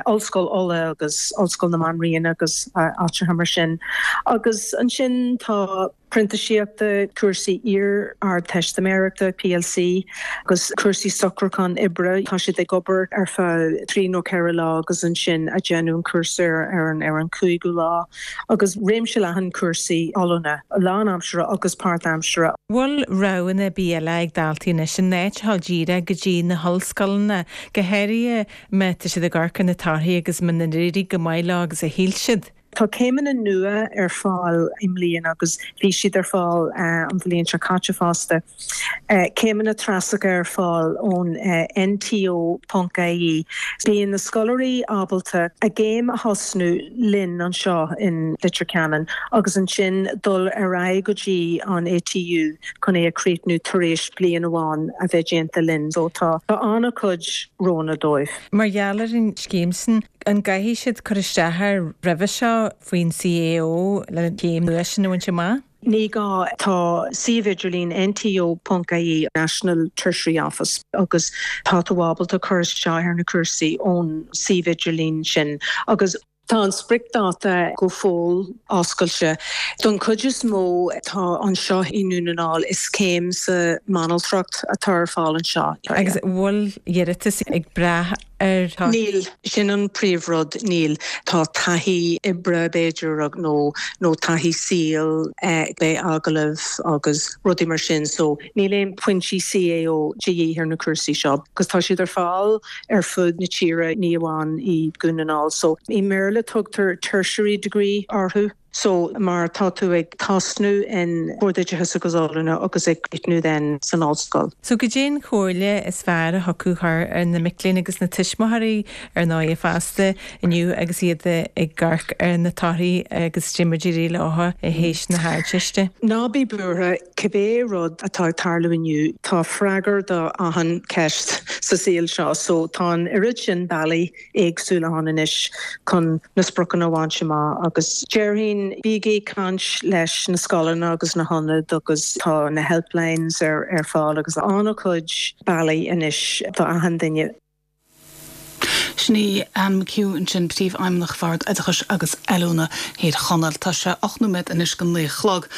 [SPEAKER 13] Ollscoil Uladh agus Ollscoil na Banríona agus áiteacha mar sin. Agus ansin tá. printíseachta, cúrsaí iar-Ardteistiméireachta, PLC, agus cúrsaí socrúchán oibre. Tá siad ag obair ar feadh trí nó ceithre lá agus ansin ag déanamh an cúrsa ar an ar an cúigiú lá. Agus réimse leathan cúrsaí oiliúna, lánaimseartha agus páirtaimseartha.
[SPEAKER 5] Bhfuil roghanna ar bith eile ag daltaí anois in áit a dhul díreach go dtí na hollscoileanna, go háirithe má tá siad ag amharc ar na torthaí agus muna n-éirigh go maith leo agus a shíl siad?
[SPEAKER 13] Tá céimeanna nua ar fáil i mbliana agus bhí siad ar fáil an bhliain seo caite fosta. Céimeanna treasacha ar fáil ón NTO.ie. Bíonn na scoláirí ábalta a gcéim a thosnú linn anseo in Leitir Ceanainn agus ansin dul ar aghaidh go dtí an ATU chun é a chríochnú tar éis bliain amháin a bheith déanta linn. So tá an-chuid roghanna dóibh.
[SPEAKER 5] Mar gheall ar an scéim sin, An gcaithfidh siad cur isteach air roimhe seo faoin CAO le céim nua sin a bhaint amach?
[SPEAKER 13] Ní gá. Tá suíomh idirlín NTO.ie, National Tertiary Office, agus tá tú ábalta cur isteach ar na cúrsaí ón suíomh idirlín sin agus. Tá an spriocdháta go fóill oscailte. Don chuid is mó atá anseo i nDún na nGall, is céim sa mbanaltracht atá ar fáil anseo.
[SPEAKER 5] Agus an bhfuil iarratas ag brath ar
[SPEAKER 13] thorthaí? Níl. Sin an príomhrud, níl. Tá taithí oibre, b'fhéidir, nó nó taithí saoil, beidh agallaimh agus rudaí mar sin so níl aon pointí CAO de dhíth ar na cúrsaí seo agus tá siad ar fáil ar fud na tíre, ní amháin i Dhún na nGall. So i mBéarla tugtar tertiary degree orthu. So mar tá tú ag tosnú in Bord Oideachais agus Oiliúna agus ag críochnú then san ollscoil.
[SPEAKER 5] So goidé an chomhairle is fearr a thiocfadh a chur ar na mic léinn agus na tuismitheoirí ar ndóighe fosta inniu agus iad ag amharc ar na torthaí agus goidé mar a d'éirigh leo théis na hArdteiste?
[SPEAKER 13] Ná bí buartha, cibé rud atá ag tarlú inniu, tá freagra do achan ceist sa saol seo so tá an oiread sin bealaí éagsúla ann anois chun na spriocanna a bhaint amach agus déarfainn bígí ag caint leis na scoileanna agus na hionaid agus tá na helplines ar ar fáil agus an-chuid bealaí anois do achan duine.
[SPEAKER 1] Sin í Anne McHugh ansin, Príomhfheidhmeannach Bhord Oideachais agus Oiliúna Thír Chonaill. Tá sé 8 nóiméad anois go 9 a chlog.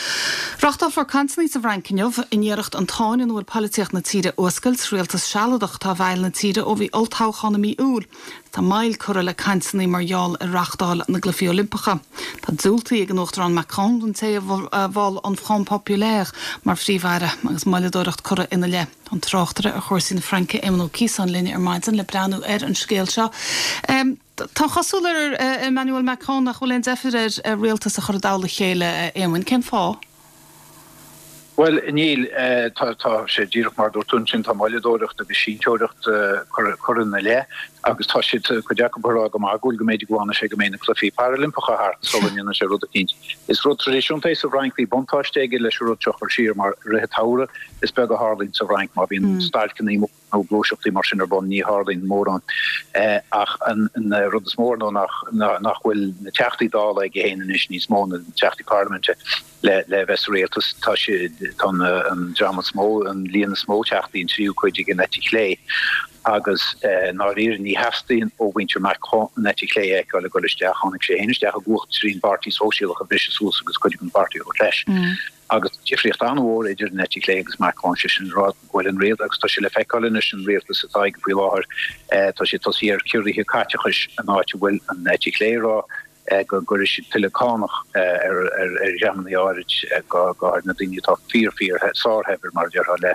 [SPEAKER 1] Reáchtálfar cainteanna sa bhFrainc inniu in iarracht an tsáinn ina bhfuil poilitíocht na tíre a fhuascailt. Rialtas sealadach atá i bhfeighil na tíre ó bhí olltoghchán i mí Iúil. Tá moill curtha le cainteanna mar gheall ar reáchtáil na gCluichí Oilimpeacha. Tá diúltaithe ag an Uachtarán Macron don té a mhol an Front Populaire mar phríomh-aire agus moilleadóireacht curtha ina leith. Tá an tráchtaire ar chúrsaí na Fraince, Éamonn Ó Ciosáin linn ar maidin le breathnú ar an scéal seo. Tá an chosúil ar Emmanuel Macron nach bhfuil aon deifir air rialtas a chur i dtoll a chéile, a Éamoinn. Cén fáth?
[SPEAKER 14] Bhuel, níl. Tá sé díreach mar a dúirt tú ansin, tá moilleadóireacht agus sínteoireacht curtha ina leith agus tá siad, cuid acu ag rá go magúil go mb'fhéidir go bhfanfaidh sé go mbeidh na Cluichí Parailimpeacha thart sula ndéanann sé rud eicínt. Is rud traidisiúnta é sa bhFrainc, bhí buntáiste aige leis an rud seo a chur siar mar i rith an tsamhraidh, Is beag a tharlaíonn sa bhFrainc má bhíonn stailceanna móra nó gluaiseachtaí mar sin ar bun, ní tharlaíonn mórán. Ach an rud is mó ar ndóigh nach bhfuil na Teachtaí Dála aige féin anois níos mó, na Teachtaí Parlaiminte, le bheith sa rialtas. Tá siad, tá an dream is mó, an líon is mó Teachtaí, an tríú cuid ag an eite chlé. Agus i ndáiríre ní theastaíonn ó mhuintir Macron an eite chlé a fheiceáil ag dul isteach. Tháinig sé féin isteach i gcumhacht tríd an bPáirtí Sóisialach a bhriseadh suas agus cuid den pháirtí a thabhairt leis. Agus tá difríocht an-mhór idir an eite chlé agus Macron, sé sin le rá go bhfuil an rialtas, agus tá sé le feiceáil anois, an rialtas atá aige faoi láthair, tá sé tosaithe ar chiorruithe caiteachais in áit a bhfuil an eite chlé ag rá. go gcuirfidh siad tuilleadh cánach ar dhreamanna áirid, go háirid na daoine atá fíor, fíor, sárshaibhir, mar a déarfá, le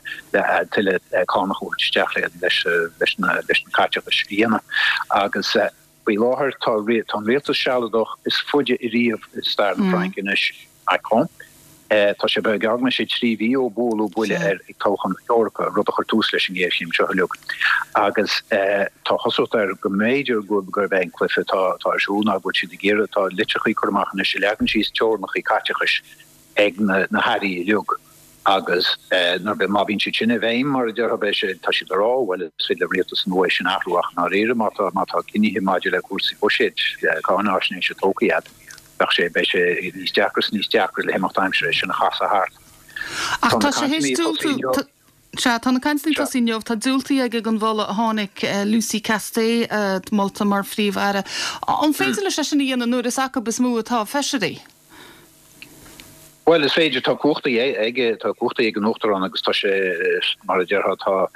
[SPEAKER 14] tuilleadh cánach a thabhairt isteach leis na caiteachais a dhéanamh. Agus faoi láthair tá an rialtas sealadach is faide ariamh i stair na Fraince anois. Macron. Tá sé beag go mbeidh sé 3 mhí ó bualadh buille air ag toghchán na hEorpa, rud a chuir tús leis an ngéarchéim seo uilig. Agus tá cosúlacht air go mb'fhéidir gurb é an cluiche atá ar siúl ná go bhfuil siad ag iarraidh, tá litreachaí curtha amach anois a leagann síos teorainneacha caiteachais ag na hairí uilig agus nuair, má bhíonn siad sin i bhfeidhm, mar a déarfá, beidh sé, tá siad ag rá, bhuel is féidir le rialtas nua é sin a athrú ach i ndáiríre má tá, má tá cinnithe maidir le cúrsaí buiséid, cáinaisnéise tógtha agat. Bheadh sé, beidh sé níos deacra is níos deacra le himeacht aimsire é sin a chasadh thart.
[SPEAKER 1] Ach tá sé théis diúltú, sea, tá na cainteanna ag tosaí inniu, tá diúltaithe aige don mholadh a tháinig Lucie Castets molta mar Phríomh-Aire. An féidir leis é sin a dhéanamh nuair is acu is mó atá feisirí?
[SPEAKER 14] Bhuel, is féidir, tá cumhachtaí aige, tá cumhachtaí ag an Uachtarán agus tá sé, mar a déarfá, tá,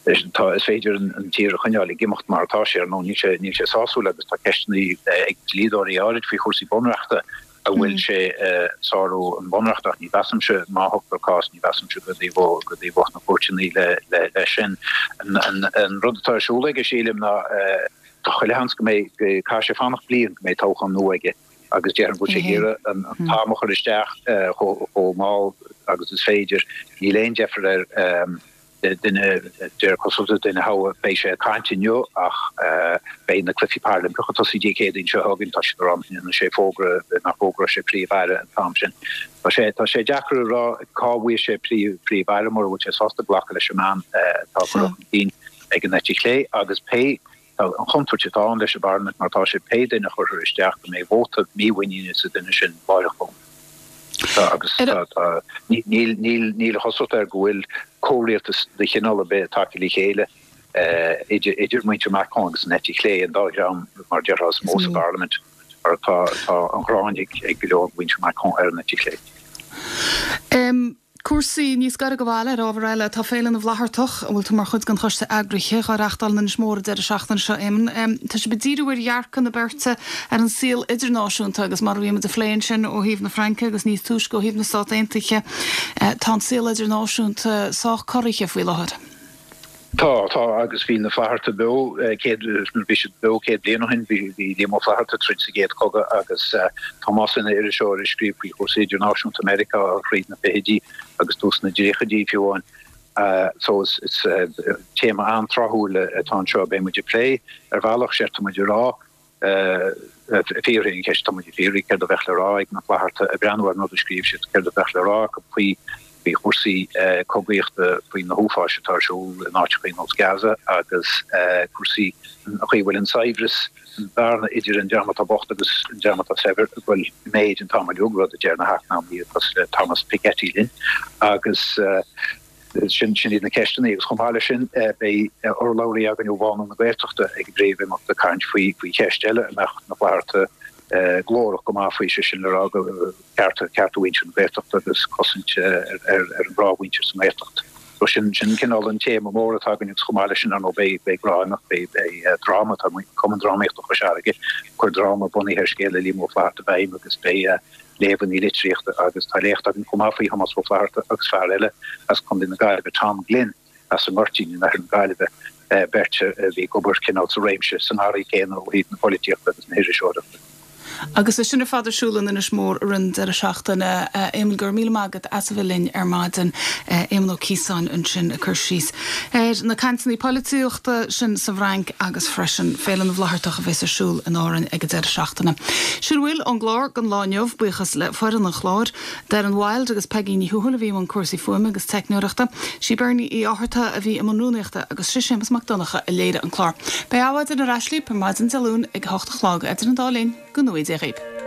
[SPEAKER 14] Tá, is féidir an tír a choinneáil ag imeacht mar atá sé, ar ndóigh níl sé, níl sé sásúil agus tá ceisteanna ag dlíodóirí áirid faoi chúrsaí bunreachta an bhfuil sé ag sárú an bhunreachta ach ní mheasaimse, má thugtar cás, ní mheasaimse go dtaobhódh, go dtaobhódh na cúirteanna le, le, leis sin. An, an, an rud atá ar siúl aige, sílim, ná tá chuile sheans go mbeidh, go, caithfidh sé fanacht bliain go mbeidh toghchán nua aige agus déarfainn go bhfuil sé ag iarraidh an, an t-am a chur isteach chomh, chomh mall agus is féidir. Níl aon deifir air. duine, de réir cosúlachta, duine a thoghadh. Beidh sé ag caint inniu ach beidh na Cluichí Parailimpeacha ag tosaí Dé Céadaoin seo chugainn. Tá siad ag rá nach ndéanfaidh sé fógra, nach bhfógróidh sé Príomh-Aire an t-am sin. Tá sé, tá sé deacair a rá cá bhfaighidh sé Príomh-Aire mura bhfuil sé sásta glacadh leis an mbean atá curtha chun cinn ag an eite chlé agus pé Tá an chontúirt atá ann leis an bparlaimint mar atá sé, pé duine a chuirfear isteach, go mbeidh vóta mímhuiníne sa duine sin láithreach bonn. Tá agus tá, tá, níl, níl, níl a chosúlacht air go bhfuil comhrialtas de chineál ar bith tagtha le chéile idir, idir muintir Macron agus an eite chlé, an dá dhream, mar a déarfá, is mó sa bparlaimint, mar tá, tá an ghráin ag, ag go leor de mhuintir Macron ar an eite chlé.
[SPEAKER 1] Cúrsaí níos gaire do bhaile ar ábhar eile, tá Féile na bhFlaitheartach, a bhfuil tú mar chuid den choiste eagraithe, dhá reachtáil in Inis Mór an deireadh seachtaine seo, Éamonn. Tá sibh ag díriú ar dhearcadh na beirte ar an saol idirnáisiúnta agus mar a bhí muid ag plé ansin ó thaobh na Fraince agus níos túisce ó thaobh na Stát Aontaithe, tá an saol idirnáisiúnta sách corraithe faoi láthair.
[SPEAKER 14] Tá, tá, agus bhí na Flathartaigh beo céad, nuair a bhí siad beo 100 bliain ó shin, bhí, bhí Liam Ó Flaithearta ag troid sa gCéad Chogadh agus Tomás ina iriseoir ag scríobh faoi chúrsaí idirnáisiúnta Meiriceá thríd na fichidí agus tús na dtríochaidí fiú amháin. So is, is téama an-tráthúil atá anseo. Beidh muid ag plé ar bhealach, séard tá muid ag rá, fiafraí an cheist, tá muid ag fiafraí céard a bheadh le rá ag na Flathartaigh, ag breathnú ar an rud a scríobh siad, céard a bheadh le rá acu faoi faoi chúrsaí cogaíochta, faoi na huafáis atá ar siúl in áiteacha ar nós Gaza agus cúrsaí, an chaoi a bhfuil an saibhreas, an bhearna idir an dream atá bocht agus an dream atá saibhir ag dul i méid an t-am uilig, rud a deir na heacnamaithe cosúil le Thomas Piketty linn agus. Sin iad na ceisteanna agus chomh maith leis sin beidh urlabhraí againn ó Bhánú na Gaeltachta ag an bpríomhimeacht ag caint faoi cheist eile a mbeadh na Flathartaigh glórach go maith faoi, sé sin le rá cearta cearta mhuintir na Gaeltachta agus cosaint ar an ghnáthmhuintir sa nGaeltacht. So sin sin cineál an téama mór atá againn agus chomh maith leis sin ar ndóigh beidh beidh gnáth-imeacht, beidh beidh dráma, tá Cumann Drámaíochta Chois Fharraige ag cur dráma bunaithe ar scéal le Liam Ó Flaithearta i bhfeidhm agus beidh léamhanna litríochta agus tá léacht againn chomh maith faoi Thomás Ó Flaithearta agus fear eile as Contae na Gaillimhe, Tom Glynn as an nGoirtín in oirthear na Gaillimhe, beirt a bhí ag obair cineál sa réimse, sa ngarraí céanna ó thaobh na polaitíochta agus na hiriseoireachta.
[SPEAKER 1] Agus é sin ar fad ar siúl in Inis Mór i rith an deireadh seachtaine. Éamonn, go raibh míle maith agat as a bheith linn ar maidin. Éamonn Ó Ciosáin ansin ag cur síos ar na cainteanna polaitíochta sin sa bhFrainc agus freisin Féile na bhFlaitheartach a bheas ar siúl in Árainn ag an deireadh seachtaine. Sin a bhfuil ón gclár don lá inniu, buíochas le foireann an chláir, Darren Wilde agus Peigí Ní Thuathail a bhí i mbun cúrsaí fuaime agus teicneoireachta, sí Bernie Uí Fhátharta a bhí i mbun rúnaíochta agus sé Séamus Mac Donncha a léirigh an clár. Beidh Adhmhaidin ar ais libh ar maidin Dé Luain ag a hocht a chlog. Idir an dá linn, go ngnóthaí Dia dhaoibh.